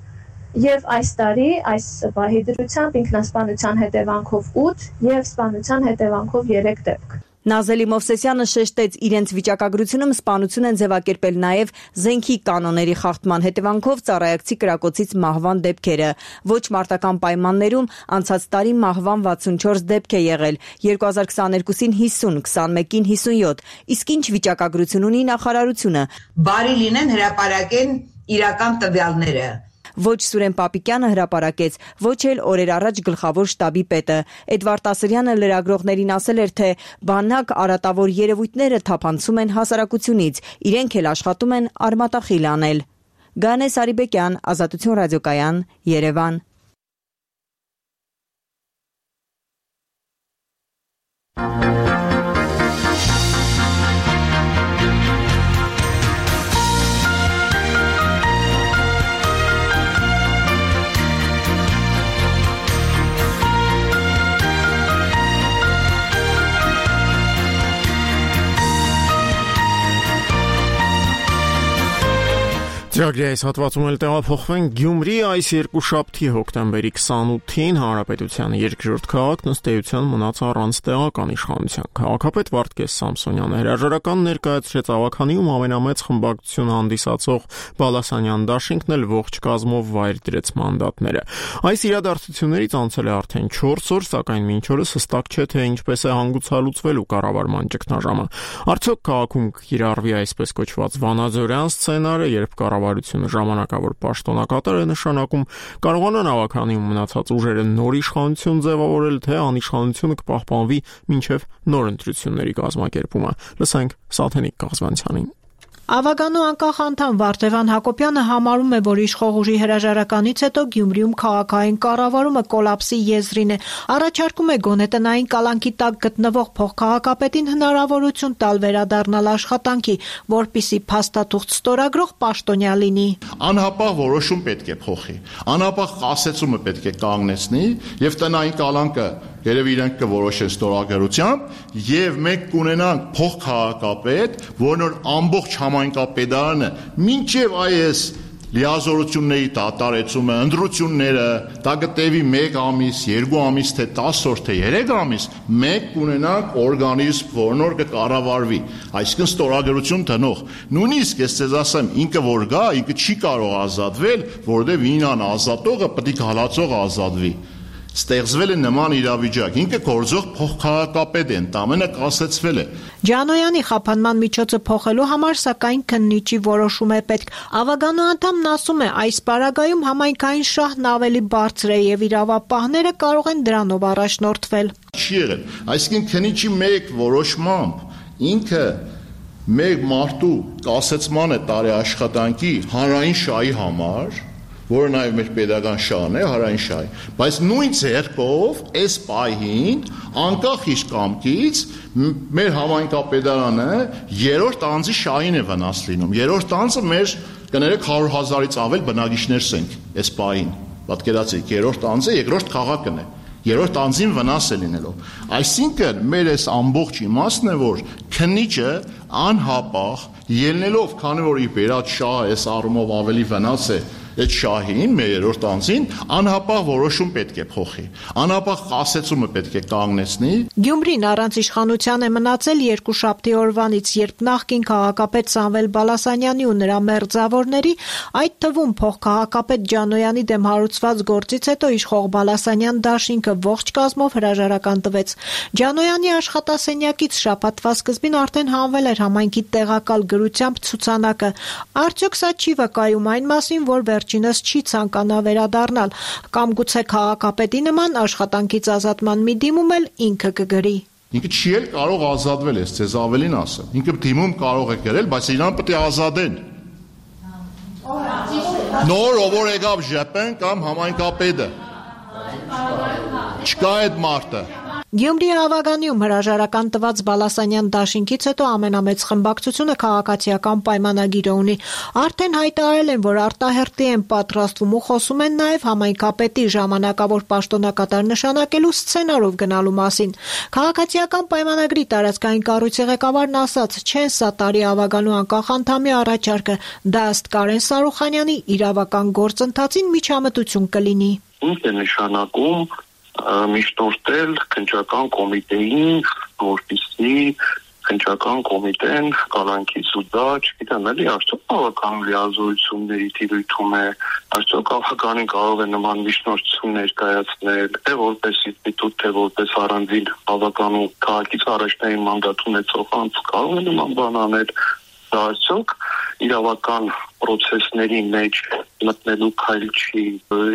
եւ այս տարի այս պահի դրությամբ ինքնասպանության հետևանքով 8 եւ սպանության հետևանքով 3 դեպք։ Նազելի Մովսեսյանը շեշտեց, իրենց վիճակագրությունում սպանություն են ձևակերպել նաև զենքի կանոնների խախտման հետևանքով ծառայակցի կրակոցից մահվան դեպքերը։ Ոչ մարտական պայմաններում անցած տարի մահվան 64 դեպք է եղել, 2022-ին 50, 21-ին 57, իսկ ինչ վիճակագրություն ունի նախարարությունը։ Բարի լինեն հրապարակեն իրական տվյալները։ Ոչ Սուրեն Պապիկյանը հրապարակեց, ոչ էլ օրեր առաջ գլխավոր շտաբի պետը։ Էդվարդ Ասրյանը լրագրողներին ասել էր, թե բանակ արատավոր երևույթները թափանցում են հասարակությունից, իրենք էլ աշխատում են արմատախիլ անել։ Գանե Սարիբեկյան, Ազատություն ռադիոկայան, Երևան։ Ծրագրի այս հատվածում էլ տեղափոխվենք Գյումրի այս երկուշաբթի հոկտեմբերի 28-ին Հանրապետության երկրորդ քաղաքն ըստ էության մնաց առանց տեղական իշխանության։ Քաղաքապետ Վարդգես Սամսոնյանը հրաժարական ներկայացրեց Ավագանիում ամենամեծ խմբակցությունը հանդիսացող Բալասանյան դաշինքն էլ ողջ կազմով վայր դրեց մանդատները։ Այս իրադարձություններից անցել է արդեն 4 օր, սակայն մինչ օրս հստակ չէ, թե ինչպես է հանգուցալուծվելու կառավարման ճգնաժամը։ Արդյոք քաղաքում կիրառվի այսպես կոչված վանաձորյան սցենարը, երբ կառավարությունը ժամանակավոր պաշտոնակատար է նշանակում, կարողանան Ավագանիում մնացած ուժերը նոր իշխանություն ձևավորել, թե անիշխանությունը կպահպանվի մինչև նոր ընտրությունների կազմակերպումը։ Լսենք Սաթենիկ Կազմանցյանին։ Ավագանու անկախ անդամ Վարդևան Հակոբյանը համարում է, որ իշխող ուժի հրաժարականից հետո Գյումրիում քաղաքային կառավարումը կոլապսի եզրին է։ Առաջարկում է գոնե տնային կալանքի տակ գտնվող փոխքաղաքապետին հնարավորություն տալ վերադառնալ աշխատանքի, որպիսի փաստաթուղթ ստորագրող պաշտոնյա լինի։ Անհապաղ որոշում պետք է փոխի։ Անհապաղ կասեցումը պետք է կանգնեցնի եւ տնային կալանքը երևի իրենք կորոշեն ստորագրությամբ եւ մենք կունենանք փոխքաղաքապետ, որն ամբողջ համայնքապետարանը մինչեւ այս լիազորությունների դատարեցումը, ընդրությունները, դա կտևի 1 ամիս, 2 ամիս, թե 10 օր, թե 3 ամիս, մենք կունենանք օրգանիզմ, որն որ կկառավարվի, այսինքն ստորագրություն տնող։ Նույնիսկ ես ձեզ ասեմ, ինքը որ գա, ինքը չի կարող ազատվել, որովհետեւ ինան ազատողը պետք է հալածող ազատվի։ Ստեղծվել է նման իրավիճակ, ինքը գործող փոխքաղաքապետ է, ընդամենը կասեցվել է։ Ջանոյանի խափանման միջոցը փոխելու համար սակայն քննիչի որոշում է պետք։ Ավագանու անդամն ասում է, այս պարագայում համայնքային շահն ավելի բարձր է եւ իրավապահները կարող են դրանով առաջնորդվել։ Չի եղել, այսինքն քննիչի մեկ որոշմամբ ինքը մեր մարդու կասեցման է տարի աշխատանքի հանրային շահի համար որը նաև մեր pedagogan շահն է, հարային շահի, բայց նույն ձեռքով այս պահին անկախ իր կամքից մեր համայնքապետարանը երրորդ անձի շահին է վնաս լինում։ Երրորդ անձը մեր կներեք 100,000-ից ավել բնակիչներ ենք այս պահին։ Պատկերացրեք, երրորդ անձը երկրորդ քաղաքն է։ Երրորդ անձին վնաս է լինելով։ Այսինքն մեր այս ամբողջ իմաստն է, որ քննիչը անհապաղ ելնելով, քանի որ իր վերած շահը այս առումով ավելի վնաս է այդ շահին, մեր երրորդ անձին, անհապաղ որոշում պետք է փոխի։ Անհապաղ կասեցումը պետք է կանգնեցնի։ Գյումրին առանց իշխանության է մնացել երկուշաբթի օրվանից, երբ նախկին քաղաքապետ Սամվել Բալասանյանի ու նրա մերձավորների, այդ թվում փոխքաղաքապետ Ջանոյանի դեմ հարուցված գործից հետո իշխող Բալասանյան դաշինքը ողջ կազմով հրաժարական տվեց։ Ջանոյանի աշխատասենյակից շաբաթվա սկզբին արդեն հանվել էր համայնքի տեղակալ գրությամբ ցուցանակը։ Արդյոք սա չի վկայում այն մասին, որ վերջինս չի ցանկանա վերադառնալ, կամ գուցե քաղաքապետի նման աշխատանքից ազատման մի դիմում էլ ինքը կգրի։ Ինքը չի էլ կարող ազատվել, ես ձեզ ավելին ասեմ։ Ինքը դիմում կարող է գրել, բայց իրան պետք է ազատեն։ Նոր ով եկավ ԺՊ-ն կամ համայնքապետը։ Չկա այդ մարդը։ Գյումրի Ավագանիում հրաժարական տված Բալասանյան դաշինքից հետո ամենամեծ խմբակցությունը քաղաքացիական պայմանագիրը ունի։ Արդեն հայտարարել են, որ արտահերտի են պատրաստվում ու խոսում են նաև համայնքապետի ժամանակավոր պաշտոնակատար նշանակելու սցենարով գնալու մասին։ Քաղաքացիական պայմանագրի տարածքային կառույցի ղեկավարն ասաց, չեն սատարի Ավագանու անկախ անդամի առաջարկը, դա ըստ Կարեն Սարուխանյանի իրավական գործընթացին միջամտություն կլինի։ Ինչ է նշանակում միշտորտել քննչական կոմիտեին, որպեսզի քննչական կոմիտեն կալանքից ու դա, չգիտեմ, էլի արդյոք բավական լիազորությունների տիրույթում է, արդյոք քաղաքականին կարող է նման միջնորդություն ներկայացնել, թե որպես ինստիտուտ, թե որպես առանձին բավականու քաղաքից առաջնային մանդատ ունեցող անձ կարող է նման բան անել, դա արդյոք իրավական պրոցեսների մեջ մտնելու քայլ չի։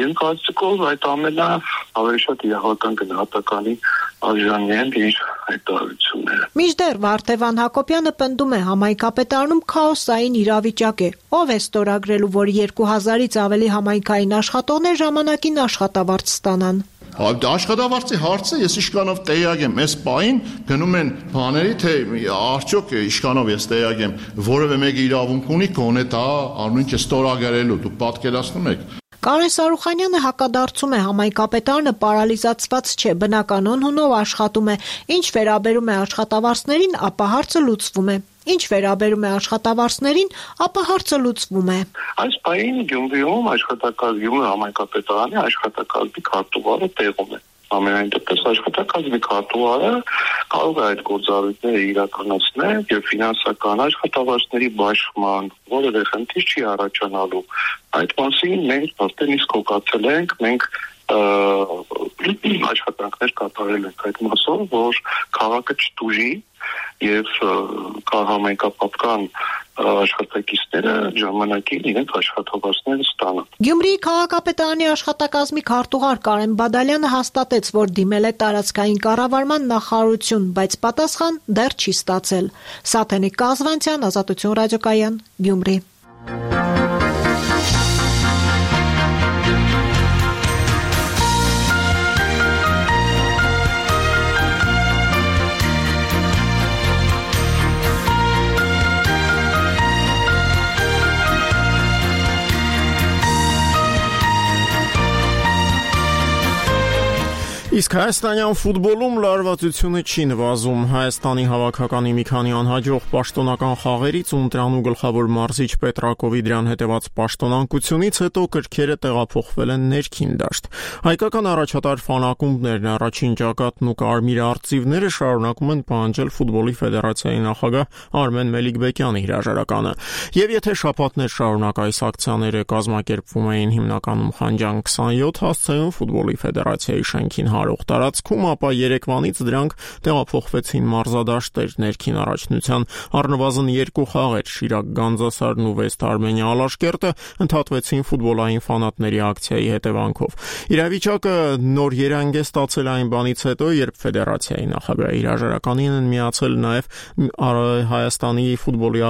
Իմ կարծիքով այդ ամենը ավելի շատ իրավական գնահատականի արժանի են իր հայտարարությունները։ Մինչդեռ Վարդևան Հակոբյանը պնդում է, համայնքապետարանում քաոսային իրավիճակ է։ Ով է ստորագրելու, որ 2000-ից ավելի համայնքային աշխատողներ ժամանակին աշխատավարձ ստանան։ Աշխատավարձի հարցը ես իշխանով տեղյակ եմ, այս պահին գնում են բաների, թե արդյոք իշխանով ես տեղյակ եմ, որևէ մեկը իրավունք ունի գոնե դա անունը ստորագրելու, դուք պատկերացնում եք։ Կարեն Սարուխանյանը հակադարձում է, համայնքապետարանը պարալիզացված չէ, բնականon հունով աշխատում է։ Ինչ վերաբերում է աշխատավարձներին, ապա հարցը լուծվում է։ Ինչ վերաբերում է աշխատավարձներին, ապա հարցը լուծվում է։ Այս պահին Գյումրիում աշխատակազմի համայնքապետարանի աշխատակազմի քարտուղարը տեղում է։ Ամենայն դեպս աշխատակազմի քարտուղարը կարող է այդ գործառույթները իրականացնել եւ ֆինանսական աշխատավարձների բաշխման որևէ խնդիր չի առաջանալու։ Այդ մասին մենք արդեն իսկ հոգացել ենք, մենք աշխատանքներ կատարել ենք այդ մասով, որ քաղաքը չտուժի եւ համայնքապետական աշխատակիցները ժամանակին իրենց աշխատավարձները ստանան։ Գյումրիի քաղաքապետարանի աշխատակազմի քարտուղար Կարեն Բադալյանը հաստատեց, որ դիմել է տարածքային կառավարման նախարարություն, բայց պատասխան դեռ չի ստացել։ Սաթենիկ Կազվանցյան, Ազատություն ռադիոկայան, Գյումրի։ Իսկ հայաստանյան ֆուտբոլում լարվածությունը չի նվազում։ Հայաստանի հավաքականի մի քանի անհաջող պաշտոնական խաղերից ու ընտրանու գլխավոր մարզիչ Պետրակովի դրան հետևած պաշտոնանկությունից հետո կրքերը տեղափոխվել են ներքին դաշտ։ Հայկական առաջատար ֆանակումբներն, առաջին ճակատն ու կարմիր արծիվները շարունակում են պահանջել ֆուտբոլի ֆեդերացիայի նախագահ Արմեն Մելիքբեկյանի հրաժարականը։ Եվ եթե շաբաթներ շարունակ այս ակցիաները կազմակերպվում էին հիմնականում Խանջան 27 հասցեում ֆուտբոլի ֆեդերացիայի շենքին հարող գտնվող տարածքում, ապա երեկվանից դրանք տեղափոխվեցին մարզադաշտեր։ Ներքին առաջնության առնվազն 2 խաղեր Շիրակ Գանձասարն ու Վեստ Արմենիա Ալաշկերտը ընդհատվեցին ֆուտբոլային ֆանատների ակցիայի հետևանքով։ Իրավիճակը նոր երանգ է ստացել այն բանից հետո, երբ ֆեդերացիայի նախագահի հրաժարականին են միացել նաև Հայաստանի ֆուտբոլի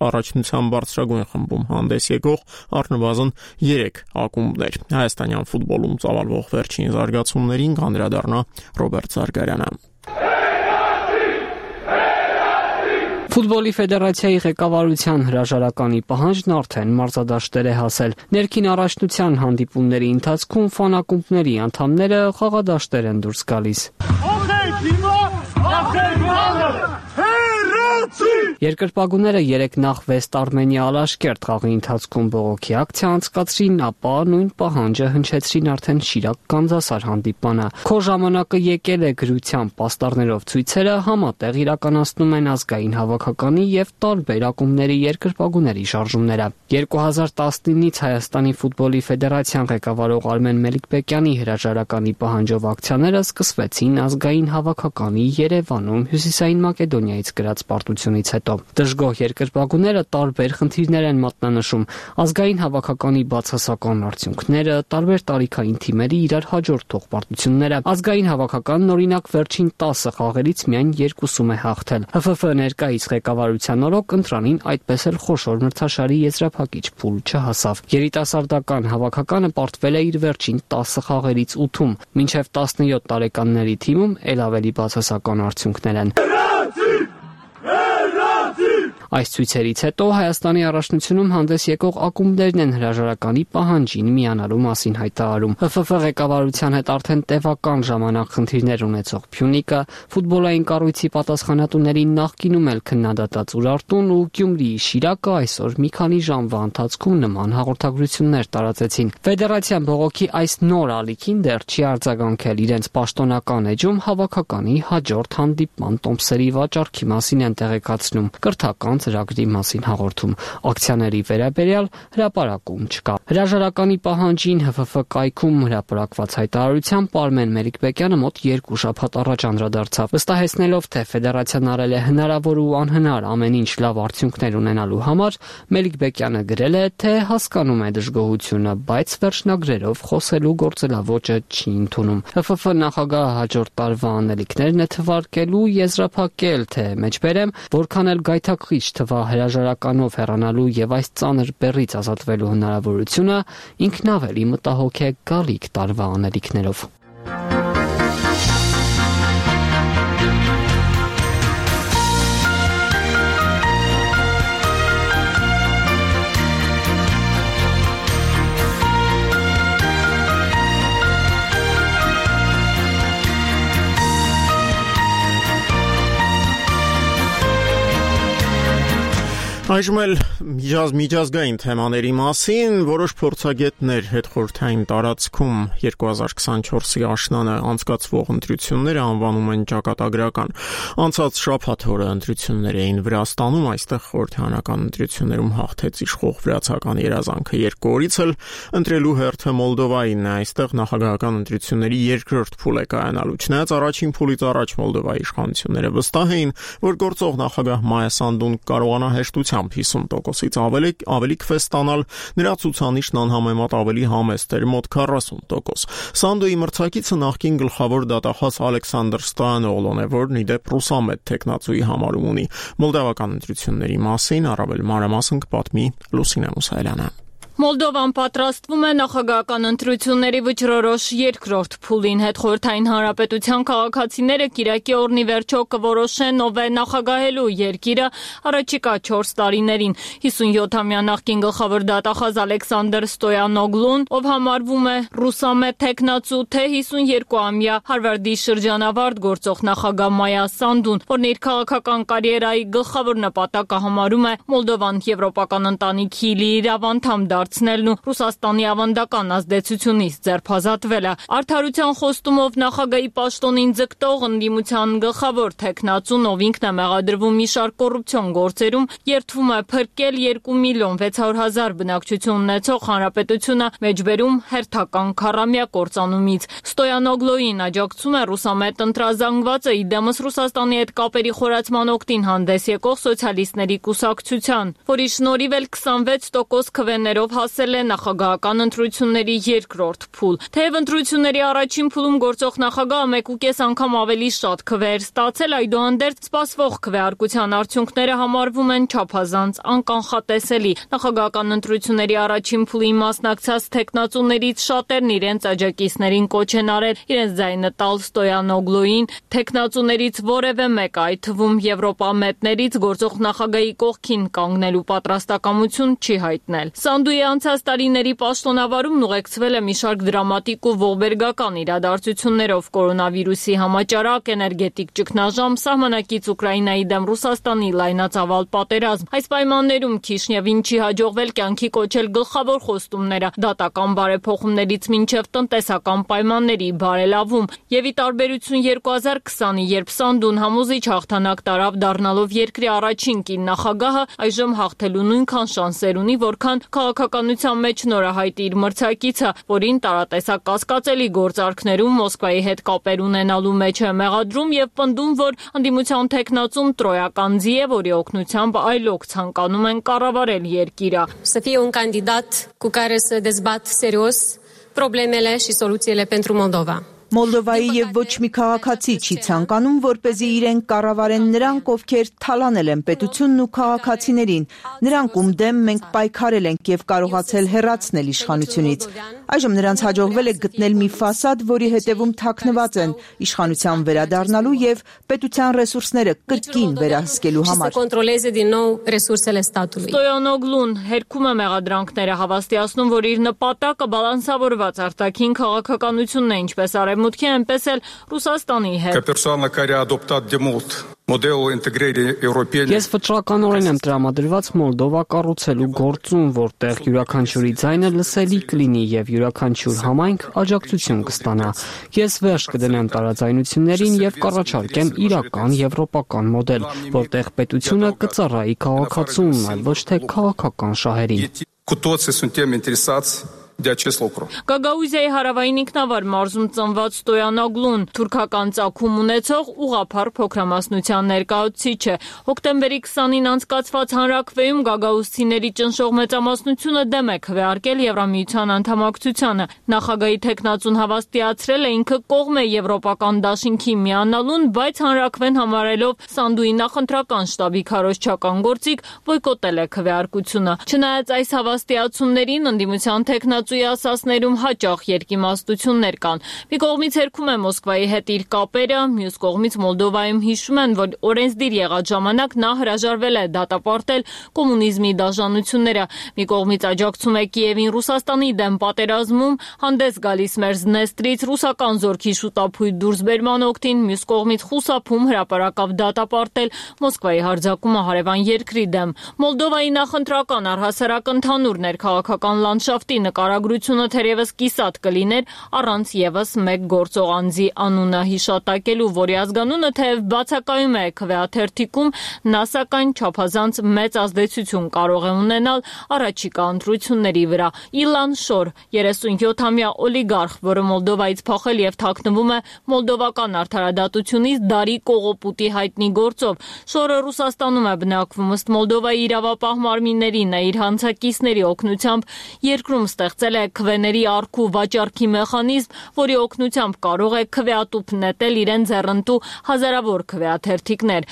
առաջնության բարձրագույն խմբում հանդես եկող առնվազն 3 ակումբներ։ Հայաստանյան ֆուտբոլում ծավալվող վերջին զարգացումներին կանդրադառնա Ռոբերտ Զարգարյանը։ Ֆուտբոլի ֆեդերացիայի ղեկավարության հրաժարականի պահանջն արդեն մարզադաշտեր է հասել։ Ներքին առաջնության հանդիպումների ընթացքում ֆանակումբների անդամները խաղադաշտեր են դուրս գալիս։ Երկրպագուները 3 նախ Վեստ Արմենիա Ալաշկերտ խաղի ընթացքում բողոքի ակցիա անցկացրին, ապա նույն պահանջը հնչեցրին արդեն Շիրակ Գանձասար հանդիպանը։ Քո ժամանակը եկել է գրությամբ պաստառներով ցույցերը համատեղ իրականացնում են ազգային հավաքականի եւ տարբեր ակումբների երկրպագուների շարժումները։ 2019-ից Հայաստանի ֆուտբոլի ֆեդերացիան ղեկավարող Արմեն Մելիքբեկյանի հրաժարականի պահանջով ակցիաները սկսվեցին ազգային հավաքականի Երևանում Հյուսիսային Մակեդոնիայից գրած պարտությունից հետո։ Դժգոհ երկրպագուները տարբեր խնդիրներ են մատնանշում՝ ազգային հավաքականի բացասական արդյունքները, տարբեր տարիքային թիմերի իրար հաջորդող պարտությունները։ Ազգային հավաքականն օրինակ վերջին 10 խաղերից միայն 2-ում է հաղթել։ ՀՖՖ ներկայիս ղեկավարության օրոք ընտրանին այդպես էլ խոշոր մրցաշարի եզրափակիչ փուլ չհասավ։ Երիտասարդական հավաքականը պարտվել է իր վերջին 10 խաղերից 8-ում, մինչև 17 տարեկանների թիմում էլ ավելի բացասական արդյունքներ են։ Այս ցույցերից հետո Հայաստանի առաջնությունում հանդես եկող ակումբներն են հրաժարականի պահանջին միանալու մասին հայտարարում։ ՀՖՖ ղեկավարության հետ արդեն տևական ժամանակ խնդիրներ ունեցող Փյունիկը, ֆուտբոլային կառույցի պատասխանատուների նախկինում էլ քննադատած Ուրարտուն ու Գյումրիի Շիրակը այսօր մի քանի ժամվա ընթացքում նման հաղորդագրություններ տարածեցին։ Ֆեդերացիան բողոքի այս նոր ալիքին դեռ չի արձագանքել, իրենց պաշտոնական էջում հավաքականի հաջորդ հանդիպման տոմսերի վաճառքի մասին են տեղեկացնում։ Կրթական ծրագրի մասին հաղորդում։ Ակցիաների վերաբերյալ հրապարակում չկա։ Հրաժարականի պահանջին ՀՖՖ կայքում հրապարակված հայտարարությամբ Արմեն Մելիքբեկյանը մոտ 2 շաբաթ առաջ անդրադարձավ, վստահեցնելով, թե ֆեդերացիան արել է հնարավոր ու անհնար ամեն ինչ լավ արդյունքներ ունենալու համար, Մելիքբեկյանը գրել է, թե հասկանում է դժգոհությունը, բայց վերջնագրերով խոսելու գործելավոճը չի ընդունում։ ՀՖՖ նախագահը հաջորդ տարվա անելիքներն է թվարկելու, եզրափակել, թե մեջբերեմ, որքան էլ գայթակղիչ թվա հրաժարականով հեռանալու եւ այս ծանր բեռից ազատվելու հնարավորությունը, ինքն ավելի մտահոգ է գալիք տարվա անելիքներով։ Այժմ էլ միջազգային թեմաների մասին որոշ փորձագետներ հետխորհրդային տարածքում 2024-ի աշնանը անցկացվող ընտրությունները անվանում են ճակատագրական։ Անցած շաբաթ օրը ընտրություններ էին Վրաստանում, այստեղ խորհրդարանական ընտրություններում հաղթեց իշխող վրացական երազանքը։ 2 օրից էլ ընտրելու հերթը Մոլդովայինն է, այստեղ նախագահական ընտրությունների երկրորդ փուլ է կայանալու։ Չնայած առաջին փուլից առաջ Մոլդովայի իշխանությունները վստահ էին, որ գործող նախագահ Մայա Սանդուն կարողանա հեշտությամբ 50%-ից ավելի քվե ստանալ, նրա ցուցանիշն անհամեմատ ավելի համեստ էր, մոտ 40%։ Սանդոյի մրցակիցը նախկին գլխավոր դատախազ Ալեքսանդր Ստոյանօղլոն է, որն ի դեպ ռուսամետ տեխնացուի համարում ունի։ Մոլդովական ընտրությունների մասին առավել մանրամասն կպատմի Լուսինե Մուսայելյանը։ Մոլդովան պատրաստվում է նախագահական ընտրությունների վճռորոշ երկրորդ փուլին։ Հետխորհրդային հանրապետության քաղաքացիները կիրակի օրնի վերջո կորոշեն ով է նախագահելու երկիրը առաջիկա 4 տարիներին։ 57-ամյա նախկին գլխավոր դատախազ Ալեքսանդր Ստոյանօղլուն, ով համարվում է ռուսամետ տեխնացու, թե 52-ամյա Հարվարդի շրջանավարտ գործող նախագահ Մայա Սանդուն, որն իր քաղաքական կարիերայի գլխավոր նպատակը համարում է Մոլդովան եվրոպական ընտանիքի լիիրավ անդամ դարձնելն ու Ռուսաստանի ավանդական ազդեցությունից ձերբազատվելը։ Արդարության խոստումով նախագահի պաշտոնին ձգտող ընդդիմության գլխավոր թեկնածուն, ով ինքն է մեղադրվում մի շարք կոռուպցիոն գործերում, երդվում է փրկել 2.600.000 բնակչություն ունեցող հանրապետությունը մեջբերում հերթական քառամյա կործանումից։ Ստոյանոգլոյին աջակցում է ռուսամետ ընտրազանգվածը, իդեմս Ռուսաստանի հետ կապերի խորացման օգտին հանդես եկող սոցիալիստների կուսակցության, որի շնորհիվ էլ 26% քվեներով հասել է նախագահական ընտրությունների երկրորդ փուլ։ Թեև ընտրությունների առաջին փուլում գործող նախագահը 1.5 անգամ ավելի շատ քվեեր ստացել, այդուհանդերձ սպասվող քվեարկության արդյունքները համարվում են չափազանց անկանխատեսելի։ Նախագահական ընտրությունների առաջին փուլին մասնակցած թեկնածուներից շատերն իրենց աջակիցներին կոչ են արել իրենց ձայնը տալ Ստոյանոգլոյին, թեկնածուներից որևէ մեկը, այդ թվում եվրոպամետներից, գործող նախագահի կողքին կանգնելու պատրաստակամություն չի հայտնել։ Սանդուի անցած տարիների պաշտոնավարումն ուղեկցվել է մի շարք դրամատիկ ու ողբերգական իրադարձություններով՝ կորոնավիրուսի համաճարակ, էներգետիկ ճգնաժամ, սահմանակից Ուկրաինայի դեմ Ռուսաստանի լայնածավալ պատերազմ։ Այս պայմաններում Քիշնևին չի հաջողվել կյանքի կոչել գլխավոր խոստումները՝ դատական բարեփոխումներից մինչև տնտեսական պայմանների բարելավում։ Եվ ի տարբերություն 2020-ի, երբ Սանդուն համոզիչ հաղթանակ տարավ դառնալով երկրի առաջին կին նախագահը, այժմ հաղթելու նույնքան շանսեր ունի, որքան քաղաքականության մեջ նորահայտ իր մրցակիցը, որին տարատեսակ կասկածելի գործարքներում Մոսկվայի հետ կապեր ունենալու մեջ է մեղադրում եւ պնդում, որ ընդդիմության թեկնածուն տրոյական ձի է, որի օգնությամբ այլոք ցանկանում են կառավարել երկիրը։ Să fie un candidat cu care să dezbat serios problemele și soluțiile pentru Moldova. Մոլդովայի եւ ոչ մի քաղաքացի չի ցանկանում, որպեսզի իրեն կառավարեն նրանք, ովքեր թալանել են պետությունն ու քաղաքացիներին, նրանք ում դեմ մենք պայքարել ենք եւ կարողացել հեռացնել իշխանությունից։ Այժմ նրանց հաջողվել է գտնել մի ֆասադ, որի հետևում թաքնված են իշխանության վերադառնալու եւ պետության ռեսուրսները կրկին վերահսկելու համար։ Ստոյանոգլուն հերքում է մեղադրանքները, հավաստիացնում, որ իր նպատակը բալանսավորված արտաքին քաղաքականությունն է, ինչպես Արևմուտքի, այնպես էլ Ռուսաստանի հետ։ Ես վճռականորեն եմ տրամադրված Մոլդովա կառուցելու գործում, որտեղ յուրաքանչյուրի ձայնը լսելի կլինի եւ յուրաքանչյուր համայնք աջակցություն կստանա։ Ես վերջ կդնեմ տարաձայնություններին եւ կառաջարկեմ իրական եվրոպական մոդել, որտեղ պետությունը կծառայի քաղաքացուն, այլ ոչ թե քաղաքական շահերին։ Գագաուզիայի հարավային ինքնավար մարզում ծնված Ստոյանոգլուն թուրքական ծագում ունեցող ուղղափառ փոքրամասնության ներկայացուցիչ է։ Հոկտեմբերի 20-ին անցկացված հանրաքվեում գագաուզցիների ճնշող մեծամասնությունը դեմ է քվեարկել Եվրամիության անդամակցությանը։ Նախագահի թեկնածուն հավաստիացրել է ինքը կողմ է եվրոպական դաշինքի միանալուն, բայց հանրաքվեն համարելով Սանդուի նախընտրական շտաբի քարոզչական գործիք բոյկոտել է քվեարկությունը։ Չնայած այս հավաստիացումներին ընդդիմության թեկնածու ասասներում հաճախ երկիմաստություններ կան։ Մի կողմից հերքում է Մոսկվայի հետ իր կապերը, մյուս կողմից Մոլդովայում հիշում են, որ օրենսդիր եղած ժամանակ նա հրաժարվել է դատապարտել կոմունիզմի դաշնությունները։ Մի կողմից աջակցում է Կիևին Ռուսաստանի դեմ պատերազմում, հանդես գալիս Մերզնեստրից ռուսական զորքի շուտափույթ դուրսբերման օգտին, մյուս կողմից խուսափում հրապարակավ դատապարտել Մոսկվայի հարձակումը հարևան երկրի դեմ։ Մոլդովայի նախընտրական առհասարակ ընդհանուր ներքաղաքական լանդշաֆտի նկարագրությունը թերևս կիսատ կլիներ առանց եւս մեկ գործող անձի անունը հիշատակելու, որի ազգանունը թեև բացակայում է քվեաթերթիկում, նա սակայն չափազանց մեծ ազդեցություն կարող է ունենալ առաջիկա ընտրությունների վրա։ Իլան Շոր, 37-ամյա օլիգարխ, որը Մոլդովայից փախել եւ թաքնվում է մոլդովական արդարադատությունից դարի կողոպուտի հայտնի գործով։ Շորը Ռուսաստանում է բնակվում, ըստ Մոլդովայի իրավապահ մարմիններին է իր հանցակիցների օգնությամբ երկրում ստեղծել է քվեների առքու վաճառքի մեխանիզմ, որի օգնությամբ կարող է քվեատուփ նետել իրեն ձեռնտու հազարավոր քվեաթերթիկներ։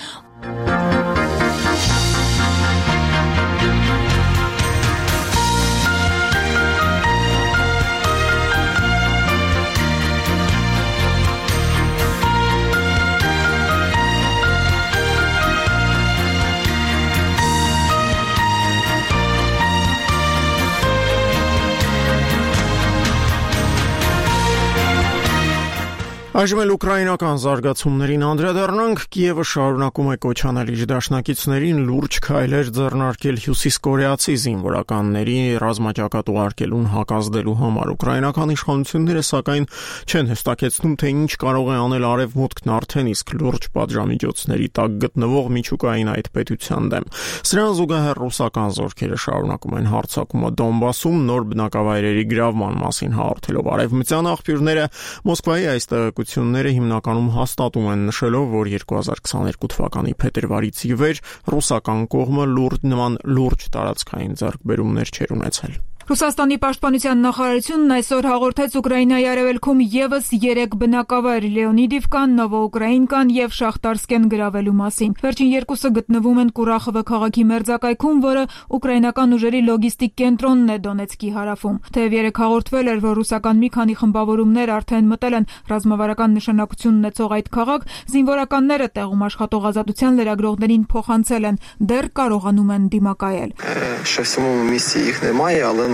Այժմ էլ ուկրաինական զարգացումներին անդրադառնանք։ Կիևը շարունակում է կոչ անել իր դաշնակիցներին լուրջ քայլեր ձեռնարկել հյուսիսկորեացի զինվորականների ռազմաճակատ ուղարկելուն հակազդելու համար։ Ուկրաինական իշխանությունները սակայն չեն հստակեցնում, թե ինչ կարող է անել Արևմուտքն արդեն իսկ լուրջ պատժամիջոցների տակ գտնվող միջուկային այդ պետության դեմ։ Սրան զուգահեռ ռուսական զորքերը շարունակում են հարձակումը Դոնբասում, նոր բնակավայրերի գրավման մասին հաղորդելով արևմտյան աղբյուրները Մոսկվայի այս տեղեկությունները հիմնականում հաստատում են, նշելով, որ 2022 թվականի փետրվարից ի վեր ռուսական կողմը լուրջ տարածքային ձեռքբերումներ չէր ունեցել։ Ռուսաստանի պաշտպանության նախարարությունն այսօր հաղորդեց Ուկրաինայի արևելքում եւս 3 բնակավայր՝ Լեոնիդիվկան, Նովոուկրաինկան եւ Շախտարսկեն գրավելու մասին։ Վերջին երկուսը գտնվում են Կուրախովը քաղաքի մերձակայքում, որը ուկրաինական ուժերի լոգիստիկ կենտրոնն է Դոնեցկի հարավում։ Թեև երեք հաղորդվել էր, որ ռուսական մի քանի խմբավորումներ արդեն մտել են ռազմավարական նշանակություն ունեցող այդ քաղաք, զինվորականները տեղում աշխատող ազատության լրագրողներին փոխանցել են, դեռ կարողանում են դիմակայել։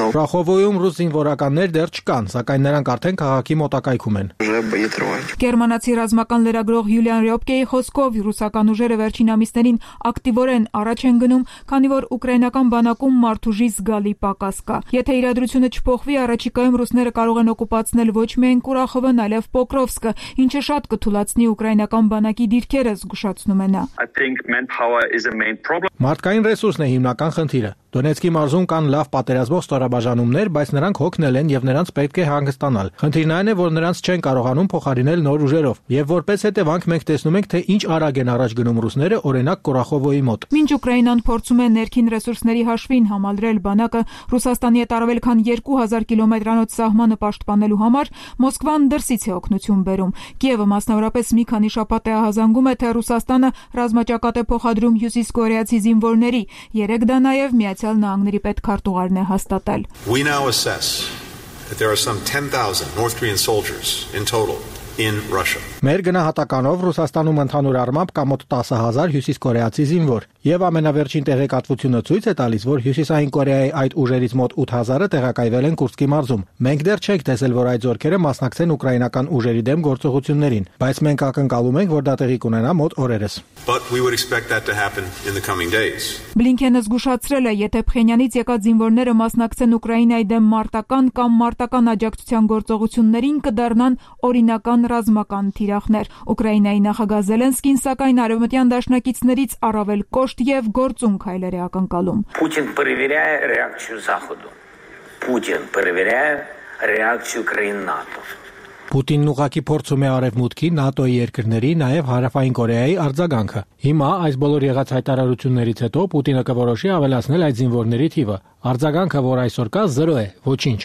Ռախովոյում ռուս զինվորականներ դեռ չկան, սակայն նրանք արդեն քաղաքի մոտակայքում են։ Գերմանացի ռազմական լրագրող Յուլիան Ռյոպկեի խոսքով ռուսական ուժերը վերջին ամիսներին ակտիվորեն առաջ են գնում, քանի որ ուկրաինական բանակում մարդուժի զգալի պակաս կա։ Եթե իրադրությունը չփոխվի, առաջիկայում ռուսները կարող են օկուպացնել ոչ միայն Կուրախովը, այլև Պոկրովսկը, ինչը շատ կթուլացնի ուկրաինական բանակի դիրքերը, զգուշացնում է նա։ Մարդկային ռեսուրսն է հիմնական խնդիրը։ Դոնեցկի մարզում կան լավ պատերազմող ստորաբաժանումներ, բայց նրանք հոգնել են եւ նրանց պետք է հանգստանալ։ Խնդիրն այն է, որ նրանց չեն կարողանում փոխարինել նոր ուժերով, եւ որպես հետևանք մենք տեսնում ենք, թե ինչ արագ են առաջ գնում ռուսները, օրինակ Կուրախովոյի մոտ։ Մինչ Ուկրաինան փորձում է ներքին ռեսուրսների հաշվին համալրել բանակը Ռուսաստանի հետ առավել քան 2000 կիլոմետրանոց սահմանը պաշտպանելու համար, Մոսկվան դրսից է օգնություն բերում։ Կիևը մասնավորապես մի քանի շաբաթ է ահազանգում է, թե Ռուսաստանը ռազմաճակատ է փոխադրում հյուսիսկորեացի զինվորների։ Երեք դա նաեւ Միացյալ Նահանգների պետքարտուղարն է հաստատել։ We now assess that there are some 10,000 North Korean soldiers in total in Russia. Մեր գնահատականով Ռուսաստանում ընդհանուր առմամբ կա մոտ 10,000 հյուսիսկորեացի զինվոր, եւ ամենավերջին տեղեկատվությունը ցույց է տալիս, որ Հյուսիսային Կորեայի այդ ուժերից մոտ 8,000-ը տեղակայվել են Կուրսկի մարզում։ Մենք դեռ չենք տեսել, որ այդ զորքերը մասնակցեն ուկրաինական ուժերի դեմ գործողություններին, բայց մենք ակնկալում ենք, որ դա տեղի կունենա մոտ օրերս։ But we would expect that to happen in the coming days. Բլինքենը զգուշացրել է, եթե Փխենյանից եկած զինվորները մասնակցեն Ուկրաինայի դեմ մարտական կամ մարտական աջակցության գործողություններին, կդառնան օրինական ռազմական թիրախներ։ Ուկրաինայի նախագահ Զելենսկին սակայն արևմտյան դաշնակիցներից առավել կոշտ եւ գործուն քայլեր է ակնկալում։ Putin проверяет реакцию Заходу. Putin проверяет реакцию краин-НАТО. Պուտինն ուղղակի փորձում է Արևմուտքի, ՆԱՏՕ-ի երկրների, նաև Հարավային Կորեայի արձագանքը։ Հիմա այս բոլոր եղած հայտարարություններից հետո Պուտինը կորոշի ավելացնել այդ զինվորների թիվը։ Արձագանքը, որ այսօր կա, 0 է, ոչինչ։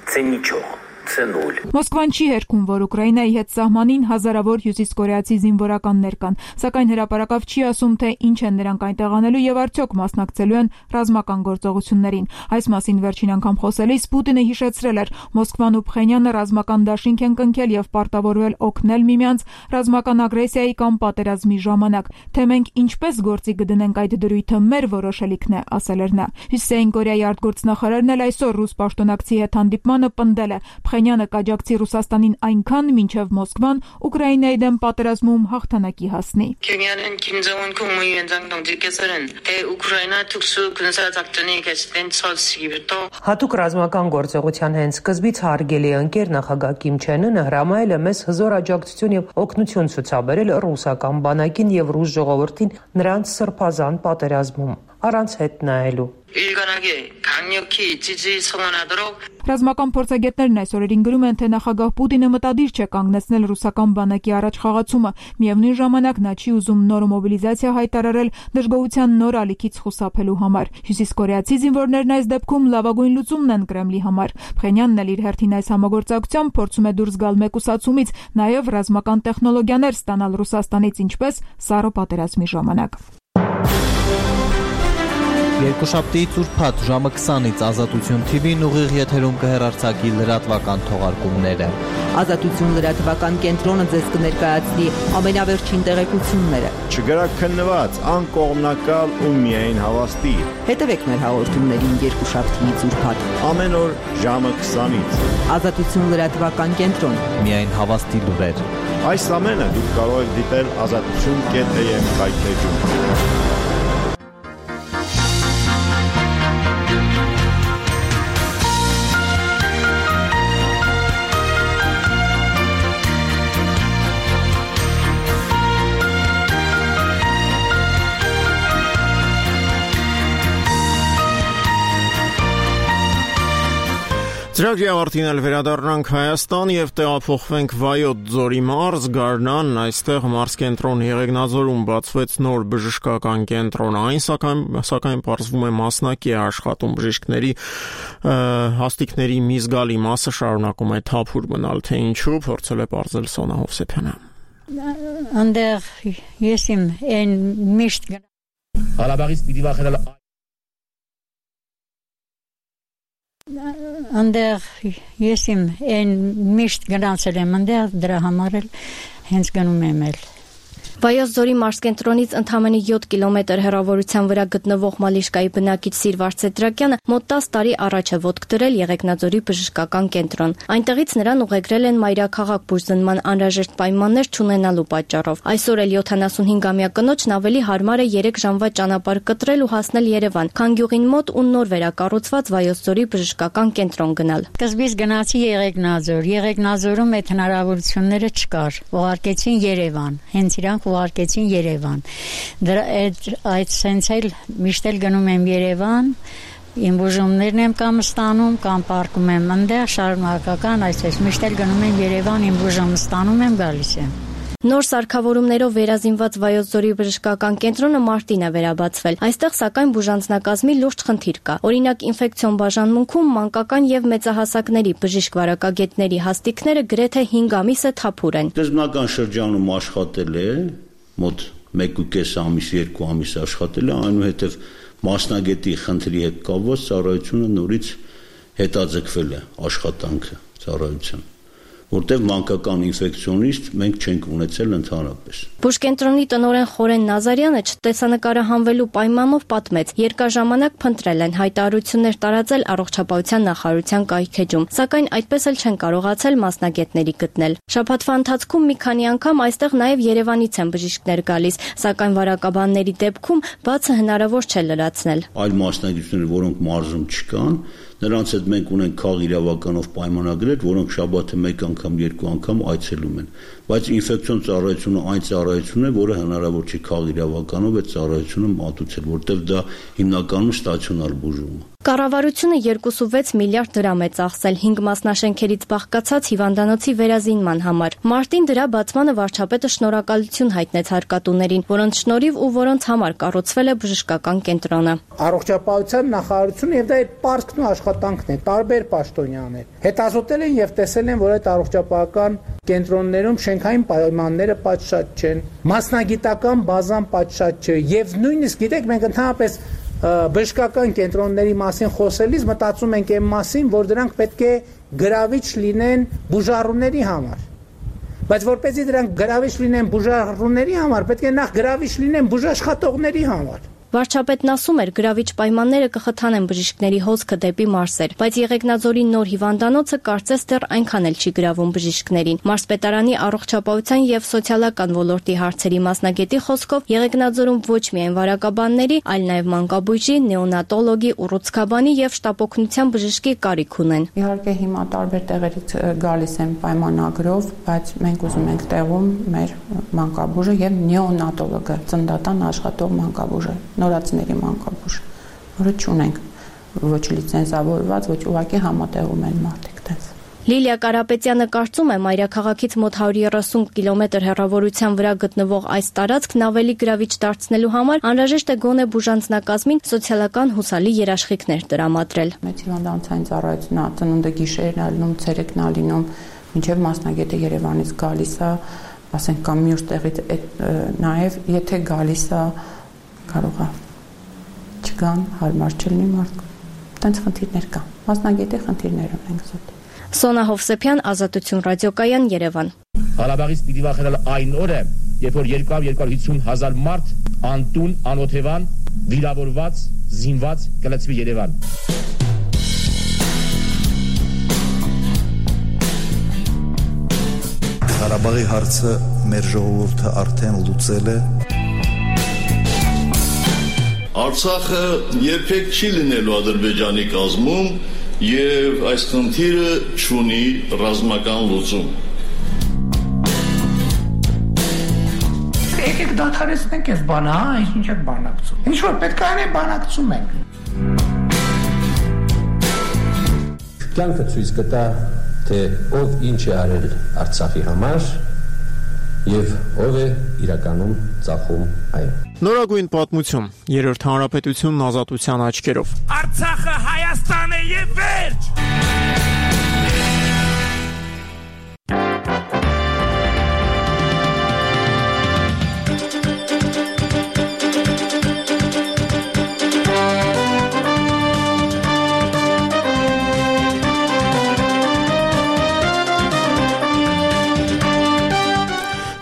Це нічого. Մոսկվան չի հերքում, որ Ուկրաինայի հետ սահմանին հազարավոր հյուսիսկորեացի զինվորականներ կան, սակայն հրապարակավ չի ասում, թե ինչ են նրանք այնտեղ անելու եւ արդյոք մասնակցելու են ռազմական գործողություններին։ Այս մասին վերջին անգամ խոսելիս Պուտինը հիշեցրել էր, Մոսկվան ու Փխենյանը ռազմական դաշինք են կնքել եւ պարտավորվել օգնել միմյանց ռազմական ագրեսիայի կամ պատերազմի ժամանակ, թե մենք ինչպես գործի կդնենք այդ դրույթը մեր որոշելիքն է, ասել էր նա։ Հյուսիսային Կորեայի արտգործնախարարն էլ այսօր ռուս պաշտոնակցի հետ հանդիպմանը պնդել է, Փխենյանը կաջակցի Ռուսաստանին այնքան, մինչև Մոսկվան Ուկրաինայի դեմ պատերազմում հաղթանակի հասնի։ Հատուկ ռազմական գործողության հենց սկզբից հարգելի ընկեր նախագահ Կիմ Չեն Ընը հրամայել է մեզ հզոր աջակցություն եւ օգնություն ցուցաբերել ռուսական բանակին եւ ռուս ժողովրդին նրանց սրբազան պատերազմում, առանց հետ նայելու։ Ռազմական փորձագետներն այս օրերին գրում են, թե նախագահ Պուտինը մտադիր չէ կանգնեցնել ռուսական բանակի առաջ խաղացումը, միևնույն ժամանակ նա չի ուզում նոր մոբիլիզացիա հայտարարել դժգոհության նոր ալիքից խուսափելու համար։ Հյուսիսկորեացի զինվորներն այս դեպքում լավագույն լուծումն են Կրեմլի համար։ Փխենյանն էլ իր հերթին այս համագործակցությամբ փորձում է դուրս գալ մեկուսացումից, նաև ռազմական տեխնոլոգիաներ ստանալ Ռուսաստանից, ինչպես Սառը պատերազմի ժամանակ։ Երկուշաբթի ծուրփաթ ժամը 20-ից Ազատություն TV-ն ուղիղ եթերում կհեռարձակի լրատվական թողարկումները։ Ազատություն լրատվական կենտրոնը ձեզ կներկայացնի ամենավերջին տեղեկությունները։ Չգրակ քննված, անկողմնակալ ու միայն հավաստի։ Հետևեք մեր հաղորդումներին երկուշաբթիից ուրբաթ ամեն օր ժամը 20-ից։ Ազատություն լրատվական կենտրոն, միայն հավաստի լուրեր։ Այս ամենը դուք կարող եք դիտել azatutun.am կայքեջում։ Ծրագրի ավարտին վերադառնանք Հայաստան եւ տեղափոխվենք Վայոց ձորի մարզ, Գարնան, այստեղ մարզկենտրոն Եղեգնաձորում բացվեց նոր բժշկական կենտրոն, այն սակայն պարզվում է մասնակի է աշխատում բժիշկների հաստիկների մի զգալի մասը շարունակում է թափուր մնալ, թե ինչու փորձել է պարզել Սոնա Հովսեփյանը։ Այնտեղ ես իմ այն միշտ Հալաբաղից պիտի վախենալ Այնտեղ ես իմ այն միշտ գնացել եմ այնտեղ դրա համար էլ հենց գնում եմ էլ Վայոց ձորի մարզկենտրոնից ընդամենը 7 կիլոմետր հեռավորության վրա գտնվող Մալիշկայի բնակիչ Սիրվարդ Սեդրակյանը մոտ 10 տարի առաջ է ոտք դրել Եղեգնաձորի բժշկական կենտրոն։ Այնտեղից նրան ուղեկրել են մայրաքաղաք բուժզնման անհրաժեշտ պայմաններ չունենալու պատճառով։ Այսօր էլ 75-ամյա կնոջն ավելի հարմար է 3 ժամվա ճանապարհ կտրել ու հասնել Երևան, քան գյուղին մոտ ու նոր վերակառուցված Վայոց ձորի բժշկական կենտրոն գնալ։ Սկզբից գնացի Եղեգնաձոր, Եղեգնաձորում այդ հնարավորությունները չկար։ Ուղարկեցին Երևան, հենց իրանք ուղարկեցին Երևան։ Այդ սենց էլ միշտ էլ գնում եմ Երևան, իմ բուժումներն եմ կամ ստանում, կամ պարկում եմ այնտեղ շարունակական, այսպես միշտ էլ գնում եմ Երևան, իմ բուժումը ստանում եմ, գալիս եմ։ Նոր սարքավորումներով վերազինված Վայոց ձորի բժշկական կենտրոնը մարտին է վերաբացվել։ Այստեղ սակայն բուժանձնակազմի լուրջ խնդիր կա։ Օրինակ ինֆեկցիոն բաժանմունքում մանկական եւ մեծահասակների բժիշկ վարակագետների հաստիկները գրեթե 5 ամիս է թափուր են։ Սկզբնական շրջանում աշխատել է մոտ 1.5 ամիս, 2 ամիս աշխատել է, այնուհետև մասնագետի խնդրի հետ կապված ծառայությունը նորից հետաձգվել է աշխատանքը ծառայության, որտեղ մանկական ինֆեկցիոնիստ մենք չենք ունեցել ընդհանրապես։ Բուժկենտրոնի տնօրեն Խորեն Նազարյանը չտեսանկարը հանվելու պայմանով պատմեց, երկար ժամանակ փնտրել են հայտարարություններ տարածել առողջապահության նախարարության կայքեջում, սակայն այդպես էլ չեն կարողացել մասնագետների գտնել։ Շաբաթվա ընթացքում մի քանի անգամ այստեղ նաև Երևանից են բժիշկներ գալիս, սակայն վարակաբանների դեպքում բացը հնարավոր չէ լրացնել։ Այլ մասնագետներ, որոնք մարզում չկան, նրանց հետ մենք ունենք քաղ իրավականով պայմանագրեր, որոնք շաբաթը մեկ անգամ, երկու անգամ այցելում են, բայց ինֆեկցիոն ծառայությունը այն ծառայությունն է, որը հնարավոր չի քաղ իրավականով այդ ծառայությունը մատուցել, որտեղ դա հիմնականում ստացիոնար բուժում է։ Կառավարությունը 2.6 միլիարդ դրամ է ծախսել 5 մասնաշենքերից բաղկացած հիվանդանոցի վերազինման համար։ Մարտին դրա բացմանը վարչապետը շնորհակալություն հայտնեց հարկատուներին, որոնց շնորհիվ ու որոնց համար կառուցվել է բժշկական կենտրոնը։ Առողջապահության նախարարությունը եւ դա այդ պարտքն ու աշխատանքն է, տարբեր պաշտոնյաներ հետազոտել են եւ տեսել են, որ այդ առողջապահական կենտրոններում շենքային պայմանները պատշաճ չեն, մասնագիտական բազան պատշաճ չէ եւ նույնիսկ գիտեք մենք ընդհանրապես բժշկական կենտրոնների մասին խոսելիս մտածում ենք այն մասին, որ դրանք պետք է գրավիչ լինեն բուժառուների համար։ Բայց որպեսզի դրանք գրավիչ լինեն բուժառուների համար, պետք է նախ գրավիչ լինեն բուժաշխատողների համար։ Վարչապետն ասում էր, գրավիչ պայմանները կխթանեն բժիշկների հոսքը դեպի մարզեր, բայց Եղեգնաձորի նոր հիվանդանոցը կարծես դեռ այնքան էլ չի գրավում բժիշկներին։ Մարզպետարանի առողջապահության եւ սոցիալական ոլորտի հարցերի մասնագետի խոսքով Եղեգնաձորում ոչ միայն վարակաբանների, այլ նաեւ մանկաբույժի, նեոնատոլոգի, ուռուցքաբանի եւ շտապօգնության բժշկի կարիք ունեն։ Իհարկե հիմա տարբեր տեղերից գալիս են պայմանագրով, բայց մենք ուզում ենք տեղում մեր մանկաբույժը եւ նեոնատոլոգը, ծննդատան աշխատող մանկաբույժը, նորածների մանկաբույժ, որը չունենք ոչ լիցենզավորված, ոչ ուղղակի համատեղում են մարդիկ դες։ Լիլիա Կարապետյանը կարծում է, մայրաքաղաքից մոտ 130 կիլոմետր հեռավորության վրա գտնվող այս տարածքն ավելի գրավիչ դարձնելու համար անհրաժեշտ է գոնե բուժանձնակազմին սոցիալական հուսալի երաշխիքներ տրամադրել։ Մեծ հիվանդանոցային ծառայությունն է ծնունդը գիշերն է լինում, ցերեկն է լինում, մինչև մասնագետը Երևանից գալիս է, ասենք կամ մյուս տեղից նաև եթե գալիս է կարող է չգան, հարմար չլինի մարդ։ Տենց խնդիրներ կան։ Մասնագետի խնդիրներ ունենք զուտ։ Սոնա Հովսեփյան, Ազատություն ռադիոկայան, Երևան։ Ղարաբաղից պիտի վախենալ այն օրը, երբ որ 250,000 մարդ անտուն, անօթևան, վիրավորված, զինված կլցվի Երևան։ Ղարաբաղի հարցը մեր ժողովուրդը արդեն լուծել է։ Արցախը երբեք չի լինելու Ադրբեջանի կազմում եւ այս խնդիրը չունի ռազմական լուծում։ Եկեք դադարեցնենք այս բանը, ինչ եք բանակցում։ Ինչ որ պետք է անենք, բանակցում ենք։ Կյանքը ցույց կտա, թե ով ինչ է արել Արցախի համար եւ ով է իրականում ծախում այն։ Նորագույն պատմություն, Երրորդ հանրապետությունն ազատության աչքերով։ Արցախը Հայաստան է եւ վերջ։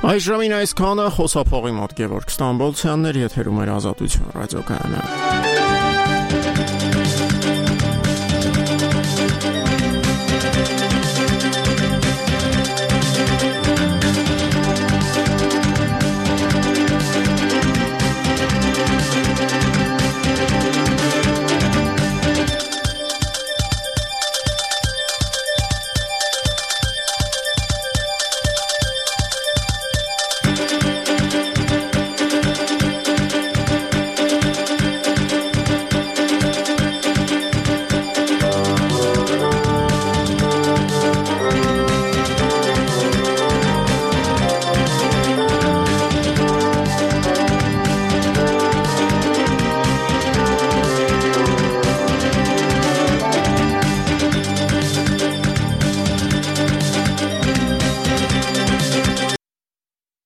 Այժմին այսքանը, խոսափողի մոտ Գևորգ Ստամբոլցյանն էր, եթերում էր Ազատություն ռադիոկայանը։